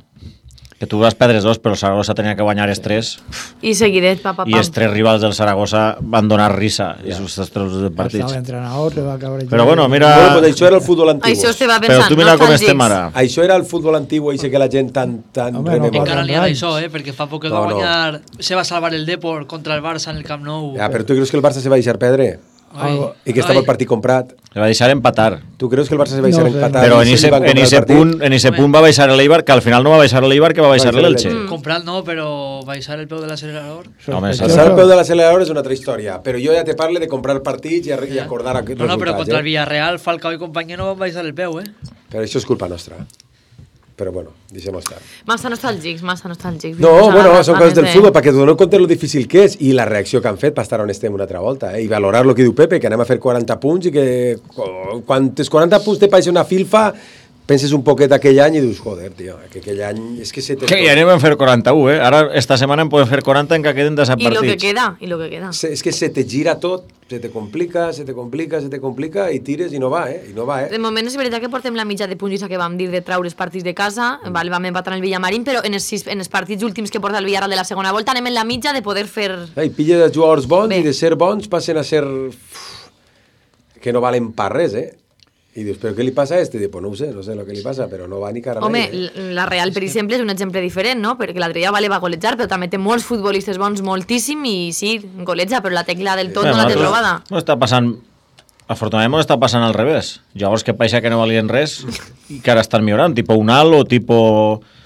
Que tu vas perdre dos, però el Saragossa tenia que guanyar els tres. I seguidet, pa, pa, I els tres rivals del Saragossa van donar risa, i els tres partits. L'entrenador te va cabrejar. Però bueno, mira... Bueno, pues això era el futbol antiguo. Això estava pensant, però tu mira no com estem ara. Això era el futbol antiguo, i sé que la gent tan... tan Home, no encara li ha d'això, eh? Perquè fa poc que no, va guanyar... No. Se va salvar el Depor contra el Barça en el Camp Nou. Ja, però tu creus que el Barça se va deixar perdre? Ai. I que estava el partit comprat. Se va deixar empatar. Tu creus que el Barça se va deixar no sé. empatar? Però en ese, en ese punt, en ese punt va baixar l'Eibar, que al final no va baixar l'Eibar, que va baixar l'Elche. Mm. Comprat no, però baixar el peu de l'acelerador. Home, baixar el peu de l'acelerador és una altra història, però jo ja te parle de comprar partits i, a, i acordar aquests no, no, resultats. però contra eh? el Villarreal, Falcao i companyia no van baixar el peu, eh? Però això és culpa nostra. Però bueno, deixem-ho estar. Massa nostàlgics, massa nostàlgics. No, bueno, són coses del futbol, perquè t'ho dono compte lo difícil que és i la reacció que han fet per estar on estem una altra volta, eh? I valorar el que diu Pepe, que anem a fer quaranta punts i que quan els quaranta punts te paeixen una filfa, penses un poquet aquell any i dius, joder, tio, que aquell any... És que se te... Que ja anem a fer quaranta-u, eh? Ara, esta setmana en podem fer quaranta en que queden desat partits. I lo que queda, i lo que queda. És que se te gira tot, se te complica, se te complica, se te complica, i tires i no va, eh? I no va, eh? De moment és veritat que portem la mitja de punts que vam dir de traure els partits de casa, mm. val, vam empatar en el Villamarín, però en els, sis, en els partits últims que porta el Villarreal de la segona volta anem en la mitja de poder fer... I pilla de jugadors bons Bé. I de ser bons passen a ser... que no valen per res, eh? I dius, però què li passa a este? Diu, pues no ho sé, no sé el que li passa, però no va ni cara. Home, eh? la Real, per exemple, és un exemple diferent, no? Perquè l'altre dia vale, va golejar, però també té molts futbolistes bons, moltíssim, i sí, goleja, però la tecla del tot Bé, no la té trobada. No està passant... Afortunadament està passant al revés. Llavors que paixa que no valien res i que ara estan millorant, tipo Unal o tipo...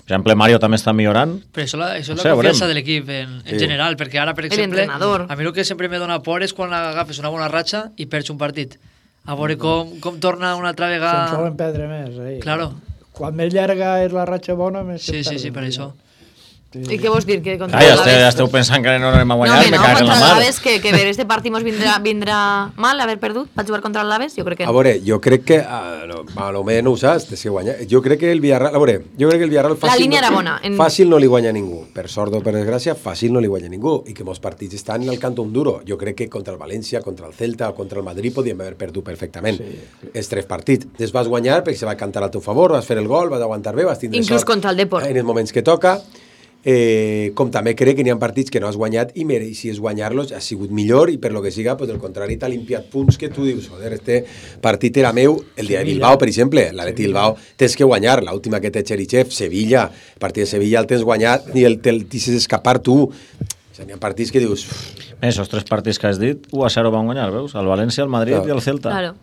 Per exemple, Mario també està millorant. Però això, la, això és no la sé, confiança veurem. de l'equip en, en sí. general, perquè ara, per exemple, a mi el que sempre me dona por és quan agafes una bona ratxa i perds un partit. A veure com, com torna una altra vegada... Se'n solen perdre més. Eh? Claro. Quan més llarga és la ratxa bona, més sí, sí, sí, per això. I què vols dir? Que contra Ah, ja, l'Aves- esteu, ja esteu pensant que no anem a No, guanyar, que me no, cago en la contra mar. l'Aves, que, que ver este partit mos vindrà, vindrà mal haver perdut per jugar contra l'Aves? Jo crec que A no. veure, jo crec que... Uh, no, a lo més no ho saps, té que guanyar. Jo crec que el Villarreal... A veure, jo crec que el Villarreal fàcil... La línia no, era bona. En... Fàcil no li guanya ningú. Per sort o per desgràcia, fàcil no li guanya ningú. I que molts partits estan en el canton duro. Jo crec que contra el València, contra el Celta o contra el Madrid podíem haver perdut perfectament. Sí. Els tres partits. Es vas guanyar perquè se va cantar al teu favor, vas fer el gol, vas aguantar bé, vas tindre Inclús sort contra el Depor. en els moments que toca. Eh, com també crec que n'hi ha partits que no has guanyat i mereixies guanyar-los, ha sigut millor i per lo que siga, pues, del contrari t'ha limpiat punts que tu dius, joder, este partit era meu el dia de Bilbao, per exemple, l'Atleti Bilbao tens que guanyar, l'última que té Cherichev, Sevilla, el partit de Sevilla el tens guanyat ni el te'l deixes escapar tu. O sigui, n'hi ha partits que dius... Esos tres partits que has dit, u a zero van guanyar, veus? El València, el Madrid Claro. i el Celta. Claro.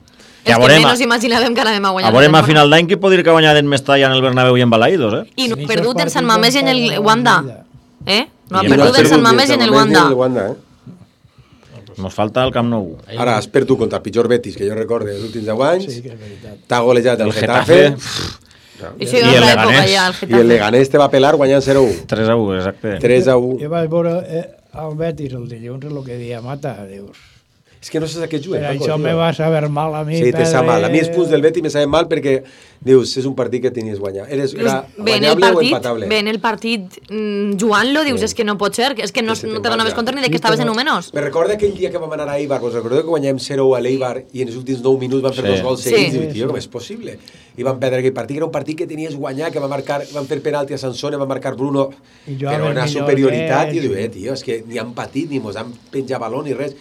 Que És a que veurem, menys imaginàvem que anàvem a guanyar. a veurem a final d'any qui pot dir que guanyarem més talla en el Bernabéu i en Balaïdos, eh? I no ha perdut en Sant Mamés i en el Wanda. Eh? No ha I no perdut has en Sant ni Mamés i en el Wanda. ni en el Wanda, eh? Nos falta el Camp Nou. Ara has perdut contra el pitjor Betis que jo recorde els últims deu anys, Sí, que és veritat. t'ha golejat el El Getafe, Getafe. Això era una època ja, el i Getafe. el Leganés te va pelar guanyant zero a u. tres a u, exacte. tres a u. Jo vaig veure eh, el Betis el dilluns, el que dia mata, dius. És que no saps a què juguen. Per Paco, això tio. me va saber mal a mi. Sí, te sap perdre- mal. A mi els punts del Betis me saben mal perquè, dius, és un partit que tenies guanyar. Eres, era Bé, en el guanyable o partit, empatable. bé, en el partit mm, jugant-lo, dius, és que no pot ser, és que no, no te donaves compte ni de que estaves en un menys. Me recorda aquell dia que vam anar a Eibar, us recordeu que guanyàvem zero a u a l'Eibar i en els últims nou minuts van fer Sí. dos gols Sí. seguits? Sí, I dic, tio, com és possible? I van perdre aquell partit, que era un partit que tenies guanyar, que va marcar, van fer penalti a Sansone, va marcar Bruno, I jo però a una veure, superioritat, millor i diu, que- eh, tio, és que ni han patit, ni mos han penjat baló, ni res.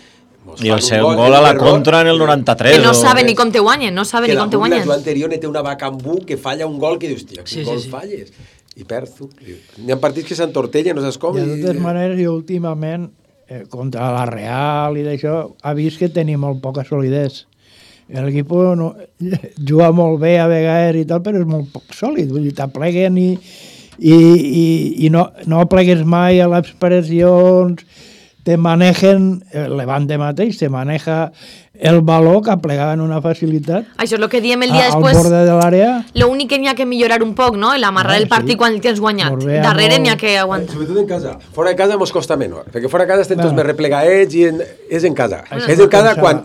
Mos I fan el un segon gol, gol a la un error, contra en el noranta-tres. Que no o- saben ni com te guanyen, no saben que ni la com te bugla, guanyen. Joan anterior ne té una Bacambú que falla un gol que dius, tio, quin Sí, sí, gol sí. falles? I perds tu. N'hi ha partits que s'entortellen, no saps com. De i- totes maneres, jo últimament, eh, contra la Real i d'això, ha vist que tenia molt poca solidesa. L'equip no, juga molt bé a vegades i tal, però és molt poc sòlid. Vull dir, t'apleguen i, i, i, i no, no plegues mai a les pressions, te manejen, el Levante mateix, te maneja el valor que plegaven una facilitat Això és el que diem el dia al després. borde de l'àrea. Lo únic que n'hi ha que millorar un poc, no? L'amarrar Ah, el partit sí. quan el tens guanyat. Molt bé, Darrere molt- n'hi ha que aguantar. Sobretot en casa. Fora de casa mos costa menys, perquè fora de casa estem Bueno. tots més replegaets i en, és en casa. Això és no en casa pensava. quan...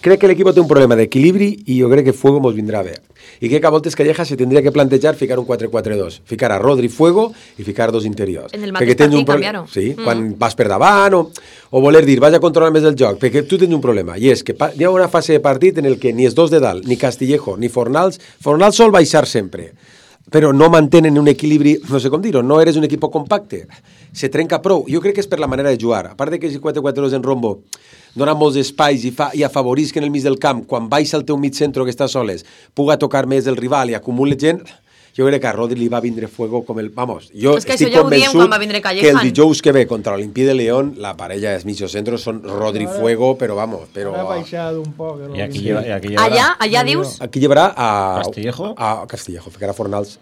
Crec que l'equip té un problema d'equilibri i jo crec que Fuego mos vindrà bé. I crec que a voltes Calleja se tindria que plantejar ficar un quatre quatre dos, ficar a Rodri Fuego i ficar dos interiors. En el Perquè mateix tens un partit pro- canviar-ho. Sí, Mm. quan vas per davant o, o voler dir vaig a controlar més el joc, perquè tu tens un problema i és que pa- hi ha una fase de partit en el que ni els dos de dalt, ni Castillejo, ni Fornals, Fornals sol baixar sempre, però no mantenen un equilibri, no sé com dir-ho, no eres un equip compacte, se trenca prou. Jo crec que és per la manera de jugar. A part de que si quatre quatre dos en rombo dona molts espais i, fa, i afavorisc en el mig del camp, quan baixa el teu mig centre que està soles, puga tocar més el rival i acumula gent, jo crec que a Rodri li va vindre Fuego com el... Vamos, jo És que estic això ja ho diem convençut quan va vindre que el Callejan. dijous que ve contra l'Olimpí de León, la parella dels mitjos centros són Rodri Fuego, però vamos, però... Ha baixat un poc. I aquí, lleva, i aquí llevarà... Allà, allà dius... Aquí llevarà a... Castillejo? A Castillejo, ficarà Fornals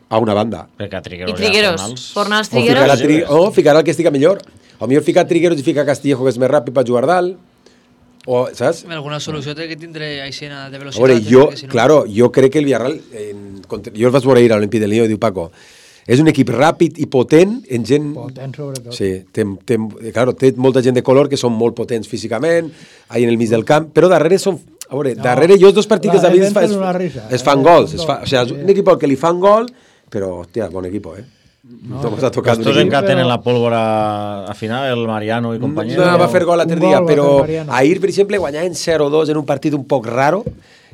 a una banda. Perquè a Trigueros I Trigueros. Fornals, O ficarà, Trigueros. tri... o ficarà el que estiga millor. O millor ficar Trigueros i ficar Castillejo, que és més ràpid per jugar dalt. O, saps? Alguna solució té que tindre Aixena de A velocitat. veure, jo, perquè si no- claro, jo crec que el Villarreal, en, contra- jo el vaig veure ahir a l'Olimpí de Lió i diu Paco, és un equip ràpid i potent en gent... Potent, sobretot. Sí, té, té, claro, té molta gent de color que són molt potents físicament, ahí en el mig del camp, però darrere són... A veure, No, darrere jo els dos partits la que David es, fa, defensa es, és una risa, es eh? fan gols. Es No. fa, o sea, és un equip al que li fan gol, però, hòstia, bon equip, eh? No, no m'ha tocat. Estos encara tenen la pólvora a final, el Mariano i companyia. No, va fer gol l'altre Un dia, gol va però fer Mariano. ahir, per exemple, guanyaven zero dos en un partit un poc raro,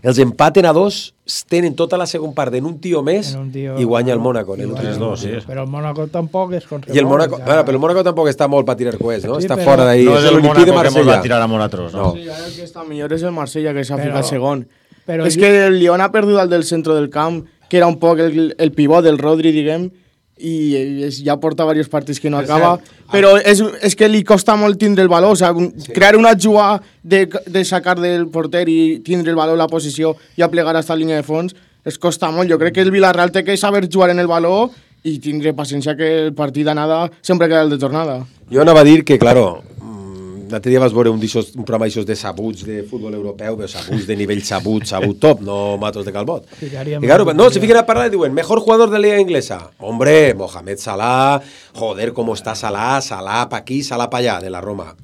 els empaten a dos, tenen tota la segona part en un tio més En un tio- i guanya el Mónaco. En I el guanya tres dos, sí. Però el Mónaco tampoc és contra I el Mónaco, bueno, però el Mónaco tampoc està molt per tirar coets, no? Sí, Està però- fora d'ahir. No és el l'Olimpí de Mónaco que mos Marsella. va tirar a nosaltres, no? No. Sí, ara el que està millor és el Marsella, que s'ha Però- ficat segon. però és jo- que el Lyon ha perdut el del centre del camp, que era un poc el, el pivot del Rodri, diguem, i és, ja porta diversos partits que no És acaba, cert. però és, és que li costa molt tindre el valor, o sea, un, sí. crear una jugada de, de sacar del porter i tindre el valor, la posició i aplegar a esta línia de fons, es costa molt. Jo crec que el Villarreal té que saber jugar en el valor i tindre paciència que el partit d'anada sempre queda el de tornada. Jo anava a dir que, claro, mm, l'altre dia vas veure un, d'ixos, un programa d'aixòs de sabuts de futbol europeu, però sabuts de nivell sabut, sabut top, no matos de Calbot. I claro, no, se fiquen a parlar i diuen, mejor jugador de la Liga Inglesa. Hombre, Mohamed Salah, joder, cómo está Salah, Salah pa' aquí, Salah pa' allá, de la Roma.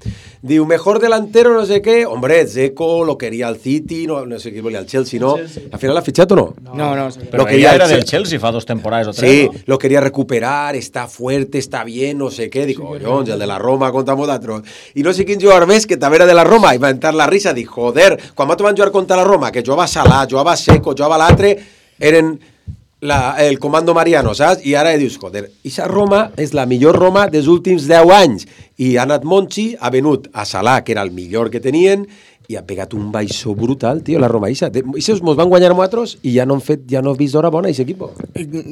Diu, mejor delantero, no sé qué, hombre, Dzeko lo quería al City, no, no sé qué volía al Chelsea, ¿no? Al final l'ha fitxat o no? No, no. Pero quería era del Chelsea fa dos temporades o tres, sí, ¿no? lo quería recuperar, está fuerte, está bien, no sé qué. Dic, collons, el de la Roma contra Modatro. I no sé quin jugador més que també era de la Roma, i va entrar la risa, dic, joder, quan va van jugar contra la Roma, que jugava Salah, jugava Seco, jugava l'altre, eren la, el comando Mariano, saps? I ara dius, joder, aquesta Roma és la millor Roma dels últims deu anys. I ha anat Monchi, ha venut a Salah, que era el millor que tenien, i ha pegat un baixó brutal, tio, la Roma. Ixa, Ixos mos van guanyar nosaltres i ja no han fet, ja no he vist d'hora bona, aquest equip.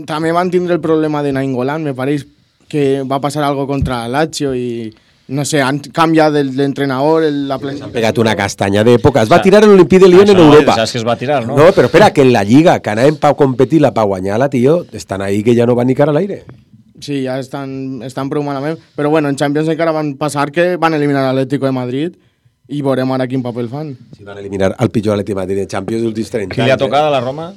També van tindre el problema de Nainggolan, me pareix que va passar algo contra Lazio i no sé, han canviat l'entrenador, la planificació. Han pegat una castanya d'època. Es va tirar l'Olimpí de Lyon en Europa. Saps que es va tirar, no? No, però espera, que en la Lliga, que anaven per competir-la, per guanyar-la, tio, estan ahí que ja no van ni cara a l'aire. Sí, ja estan, estan prou malament. Però bueno, en Champions encara van passar que van eliminar l'Atlético de Madrid i veurem ara quin paper fan. Si van eliminar el pitjor Atlètic de Madrid en Champions dels últims trenta anys. Qui li ha tocat a la Roma?